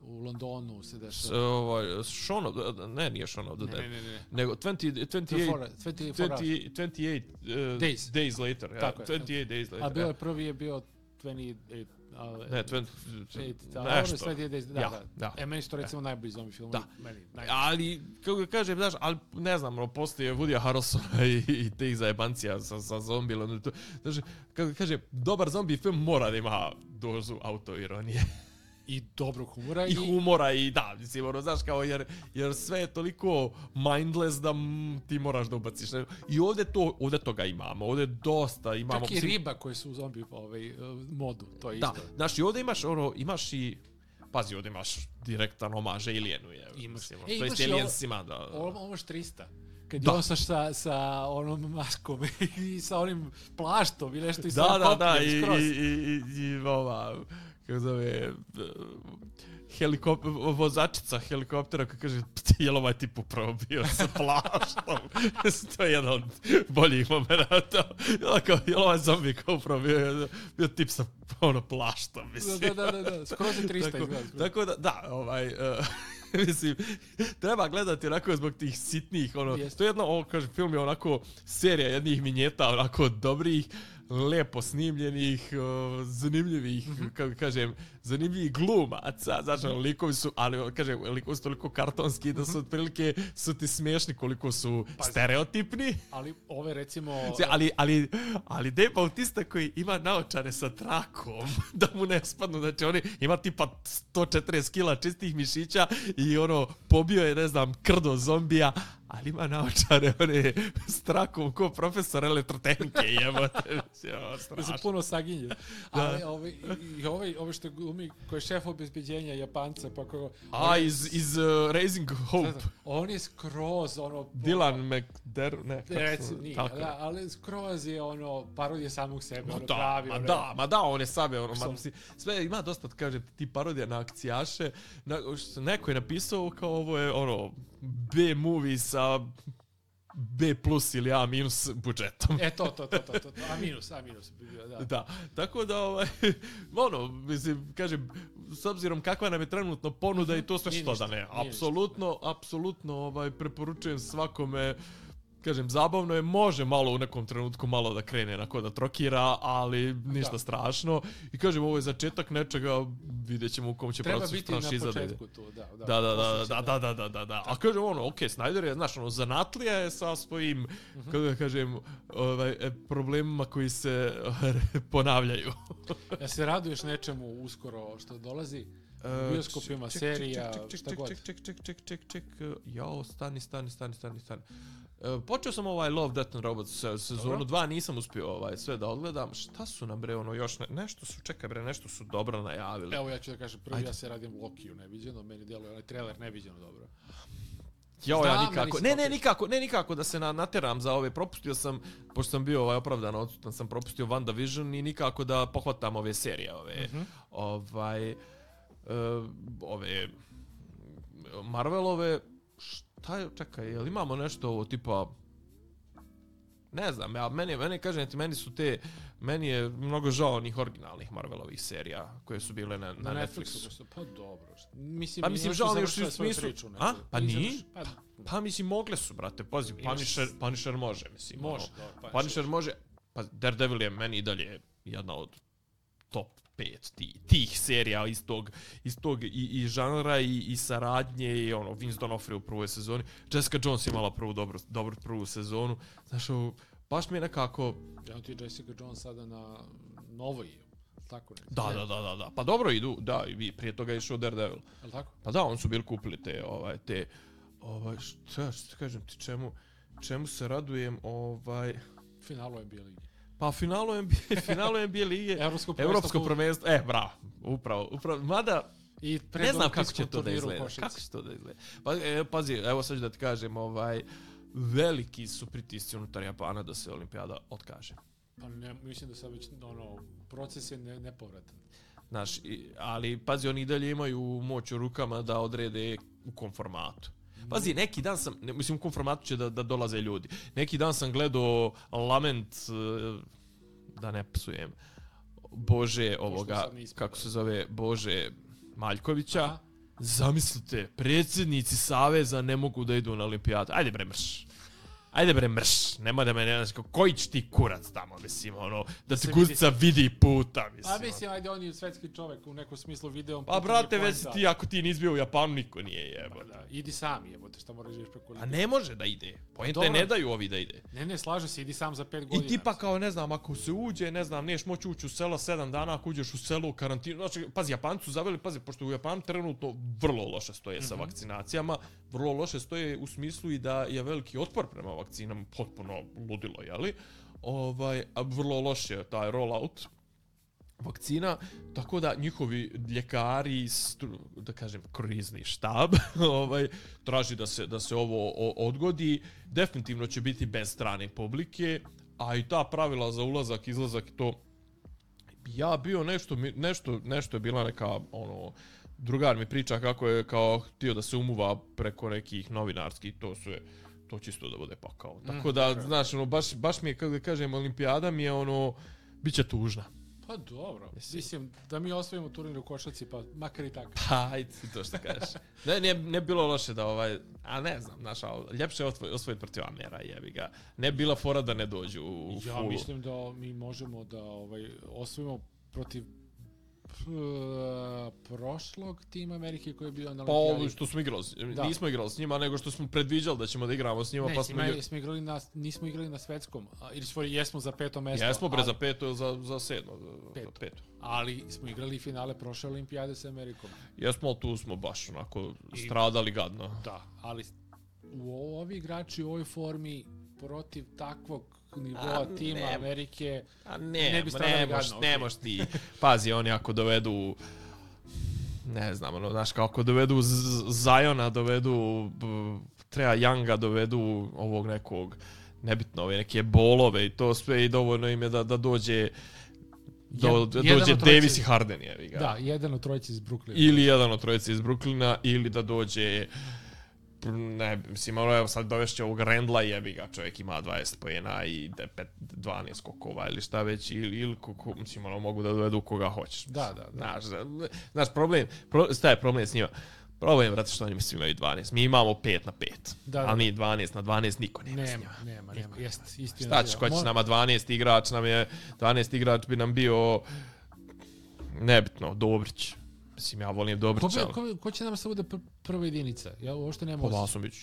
u Londonu se dešava. S, ovaj, Shaun of, ne, nije Shaun of the Dead, ne, ne, ne. nego dvadeset, dvadeset osam, dvadeset osam, dvadeset osam uh, days. days later. Ja, tako je. dvadeset osam days later. A bio je prvi je bio dvadeset osam, Uh, ne, tven, nešto. Da, ja, da. Da. E, meni što recimo najbolji zombie film. Da. Meni, ali, kako ga kažem, znaš, ali ne znam, no, postoje Woodya Harrelsona i, i tih zajebancija sa, sa zombijom. Znači, kako ga kažem, dobar zombie film mora da ima dozu autoironije. I dobrog humora. I, i humora i da, mislim, ono, znaš, kao, jer, jer sve je toliko mindless da m, ti moraš da ubaciš. I ovdje, to, ovdje toga imamo, ovdje dosta imamo. Čak i mislim, riba koje su u zombi ovaj, modu, to je da, isto. Da, znaš, i ovdje imaš, ono, imaš i, pazi, ovdje imaš direktan omaž Alienu, je. Imaš, mislim, e, to jest Aliensima, da. Ovo imaš trista. Kad da. je on sa, sa onom maskom i sa onim plaštom i nešto i sa da, da, da, i, i, i, i, i ova, kako zove, helikop, vozačica helikoptera koja kaže, jel ovaj tip upravo bio sa plaštom? To je jedan od boljih momenta. Jel ovaj zombi kao upravo bio, bio tip sa ono, plaštom, mislim. Da, da, da, da. Skroz je trista tako, izgleda. Tako da, da, ovaj... Uh, mislim, treba gledati onako zbog tih sitnih, ono, Jest. to je jedno, ovo, kažem, film je onako serija jednih vinjeta, onako dobrih, lepo snimljenih, o, zanimljivih, mm-hmm. kako kažem, zanimljivih glumaca, znači, mm-hmm. likovi su, ali, kažem, likovi su toliko kartonski da su otprilike, su ti smiješni koliko su pa, stereotipni. Ali ove, recimo... Ali, ali, ali Dave Bautista koji ima naočare sa trakom, da mu ne spadnu, znači, oni ima tipa sto četrdeset kila čistih mišića i ono, pobio je, ne znam, krdo zombija, ali ima naočare, one s trakom ko profesor elektrotehnike, jebote. Da se puno saginje. Ali ovaj, i ovaj, ovaj što glumi, koji je šef obezbeđenja Japanca, pa ko... A, iz, iz uh, Raising Hope. Da, on je skroz, ono... Dylan McDermott, ne. Recimo, nije, da, ali skroz je ono, parodija samog sebe, ma ono da, pravi. Ma ono, da, ma da, on je sabe, ono, ma, mislim, sve ima dosta, kaže, ti parodija na akcijaše, na, što neko je napisao kao ovo je, ono, B-movie sa B plus ili A minus budžetom. E, to, to, to, to, to, to. A minus, A minus bi bio, da. Da, tako da, ovaj, ono, mislim, kažem, s obzirom kakva nam je trenutno ponuda i to sve što da ne, apsolutno, apsolutno, ovaj, preporučujem svakome, kažem, zabavno je, može malo u nekom trenutku malo da krene onako da trokira, ali ništa da. strašno. I kažem, ovo je začetak nečega, vidjet ćemo u kom će treba procesu franšiza da ide. Treba biti na početku tu, da. Da, da, da, da, da, da, da, da, da. A kažem, ono, okej, okay, Snyder je, znaš, ono, zanatlija je sa svojim, uh-huh. kako da kažem, ovaj, problemima koji se ponavljaju. Ja se raduješ nečemu uskoro što dolazi? U bioskopima, serija, šta god. Ček, ček, ček, ček, ček, ček, jao, stani, stani, stani, stani, stani. Uh, počeo sam ovaj Love, Death and Robots sezonu dva, nisam uspio ovaj sve da odgledam. Šta su nam bre ono još ne, nešto su čekaj bre, nešto su dobro najavili. Evo ja ću da kažem, prvi Ajde. ja se radim Lokiju neviđeno, meni djeluje onaj trailer neviđeno dobro. Jo, ja nikako. Ne, ne, nikako, ne nikako da se na, nateram za ove, propustio sam, pošto sam bio ovaj opravdano odsutan, sam propustio WandaVision i nikako da pohvatam ove serije, ove uh-huh. ovaj uh, ove Marvelove. Šta je, čekaj, jel imamo nešto ovo tipa, ne znam, ja, meni, meni kažem ti, meni su te, meni je mnogo žao onih originalnih Marvelovih serija koje su bile na, na, na Netflixu. Netflixu. Pa dobro, mislim, pa mislim, žao mi još u smislu, priču, a? Pa nije? Pa, pa mislim, mogle su, brate, pazi, Punisher, Punisher može, mislim. Može, ono, dobro, Punisher, Punisher može, pa Daredevil je meni i dalje jedna od top pet tih, tih serija iz tog, iz tog i, i žanra i, i saradnje i ono, Vince D'Onofrio u prvoj sezoni. Jessica Jones je imala prvu dobru, dobru prvu sezonu. Znaš, ovo, baš mi je nekako... Ja ti Jessica Jones sada na novoj, tako ne? Da, da, da, da, da. Pa dobro idu, da, i prije toga je išao Daredevil. Je tako? Pa da, oni su bili kupili te, ovaj, te, ovaj, šta, šta kažem ti, čemu, čemu se radujem, ovaj... Finalu N B A lige. Pa finalu N B A, finalu N B A lige, Evropsko Evropsko prvenstvo, e, bravo, upravo, upravo, mada, i ne znam kako će to da izgleda, kako će to da izgleda. Pa, e, pazi, evo sad ću da ti kažem, ovaj, veliki su pritisci unutar Japana da se olimpijada otkaže. Pa ne, mislim da sad već, ono, proces je ne, nepovratan. Znaš, ali, pazi, oni i dalje imaju moć u rukama da odrede u kom formatu. Pazi, neki dan sam, ne, mislim u kom formatu će da, da dolaze ljudi. Neki dan sam gledao Lament, da ne psujem, Bože ovoga, kako se zove, Bože Maljkovića. Aha. Zamislite, predsjednici Saveza ne mogu da idu na olimpijadu. Ajde bre mrš. Ajde bre mrš, nema da me ne znaš, koji će ti kurac tamo, mislim, ono, da ti guzica vidi puta, mislim. A mislim, ajde, on je svetski čovjek u nekom smislu video. Pa brate, već ti, ako ti nisi bio u Japanu, niko nije jebo. Pa da, idi sam jebote, šta moraš živjeti preko A ne može da ide, poente ne daju ovi da ide. Ne, ne, slaže se, idi sam za pet godina. I tipa kao, ne znam, ako se uđe, ne znam, niješ moći ući u selo sedam dana, ako uđeš u selo u karantinu, znači, pazi, Japanci su zaveli, pazi, pošto u Japanu trenutno vrlo loše stoje sa mm-hmm. vakcinacijama, vrlo loše stoje u smislu i da je veliki otpor prema vakcinama, potpuno ludilo, jeli? Ovaj, a vrlo loš je taj rollout vakcina, tako da njihovi ljekari, da kažem, krizni štab, ovaj, traži da se, da se ovo odgodi. Definitivno će biti bez strane publike, a i ta pravila za ulazak, izlazak, to ja bio nešto, nešto, nešto je bila neka, ono, drugar mi priča kako je kao htio da se umuva preko nekih novinarskih, to su je, to čisto da bude pakao. Tako da, mm, znaš, ono, baš, baš mi je, kako da kažem, olimpijada mi je, ono, bit će tužna. Pa dobro, Mislim. mislim, da mi osvojimo turnir u košarci, pa makar i tako. Pa, ajde, to što kažeš. Ne, ne, ne bilo loše da, ovaj, a ne znam, znaš, ljepše je osvojiti protiv Amera, jebi ga. Ne bila fora da ne dođu u, u ja fulu. mislim da mi možemo da ovaj, osvojimo protiv prošlog tima Amerike koji je bio na olimpijadi. Pa što smo igrali, da. nismo igrali s njima, nego što smo predviđali da ćemo da igramo s njima. Ne, pa smo, njima, smo igrali na, nismo igrali na svetskom, ili svoj jesmo za peto mjesto. Jesmo bre ali, za peto, za, za sedmo. Peto. Za peto. Ali smo igrali finale prošle olimpijade s Amerikom. Jesmo, tu smo baš onako I, stradali gadno. Da, ali u ovi igrači u ovoj formi protiv takvog nivoa a, tima ne, Amerike a ne, ne bi stavili ne gadno. Moš, Okay. Ne moš ti, pazi, oni ako dovedu, ne znam, ono, znaš, kako dovedu Zajona, dovedu Treja Younga, dovedu ovog nekog, nebitno, ove neke bolove i to sve i dovoljno im je da, da dođe Do, da dođe Davis i Harden, jevi ga. Da, jedan od trojice iz Brooklyna. Ili jedan od trojice iz Brooklyna, ili da dođe, ne, mislim, evo sad dovešće ovog Randla, jebi ga, čovjek ima dvadeset poena i dvanaest skokova ili šta već, ili, ili kako, mislim, ono, mogu da dovedu koga hoćeš. Da, da, da. Znaš, znaš problem, pro, šta je problem s njima? Problem, brate, što oni svi imaju dvanaest. Mi imamo pet na pet. Da, da. Ali mi dvanaest na dvanaest niko nema, nema s njima. Nema, nema, jest, istina. Šta ćeš, ko će s nama dvanaest igrač, nam je, dvanaest igrač bi nam bio, nebitno, Dobrić. Mislim, ja volim Dobrića. Ko, ko, ko će nam se bude pr prva jedinica? Ja uopšte nema... Po Vasović.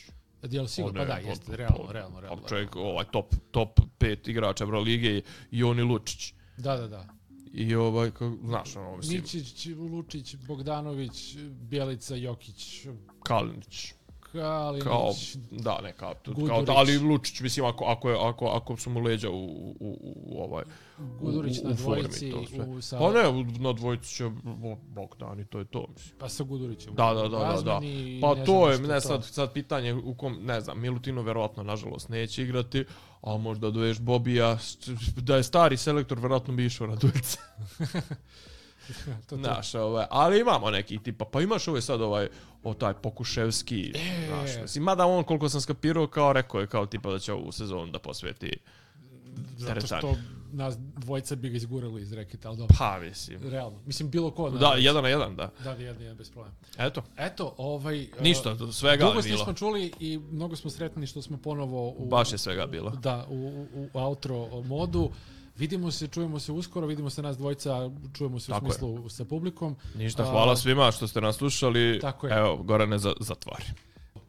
Jel sigurno? Pa da, jeste, realno, realno, realno. Čovjek, ovaj, top, top pet igrača Evrolige i oni Lučić. Da, da, da. I ovaj, kao, znaš, ono, mislim... Ničić, Lučić, Bogdanović, Bjelica, Jokić... Kalinić. Kalinić... Kao, da, ne, kao, kao ali Lučić, mislim, ako, ako, je, ako, ako su mu leđa u, u, u, u ovaj... Gudurić u, u na dvojici... U, sa... Pa ne, na dvojici će Bogdan i to je to, mislim. Pa sa Gudurićem. Da, da, da, da, da. Pa ne to je, ne, sad, sad pitanje u kom, ne znam, Milutino verovatno, nažalost, neće igrati, a možda doveš Bobija, da je stari selektor, verovatno bi išao na dvojice. to, to. Naš, ovaj, ali imamo neki tipa, pa imaš ovaj sad ovaj, o taj Pokuševski, e, znaš, mislim, mada on, koliko sam skapirao, kao rekao je, kao tipa da će ovu sezonu da posveti zato što nas dvojica bi ga izgurali iz reketa, ali dobro. Pa, mislim. Realno. Mislim, bilo ko. Da, da jedan na jedan, da. Da, jedan na jedan, bez problema. Eto. Eto, ovaj... Ništa, svega dugo je bilo. Dugo smo čuli i mnogo smo sretni što smo ponovo... U, Baš je svega bilo. Da, u, u, u outro modu. Vidimo se, čujemo se uskoro, vidimo se nas dvojica, čujemo se tako u smislu je. Sa publikom. Ništa, hvala A, svima što ste nas slušali. Tako je. Evo, Gorane, za, zatvari.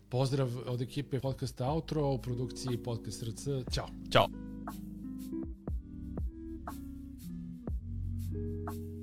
Pozdrav od ekipe podcasta Outro, u produkciji Podcast R C. Ćao. Ćao. Thank you.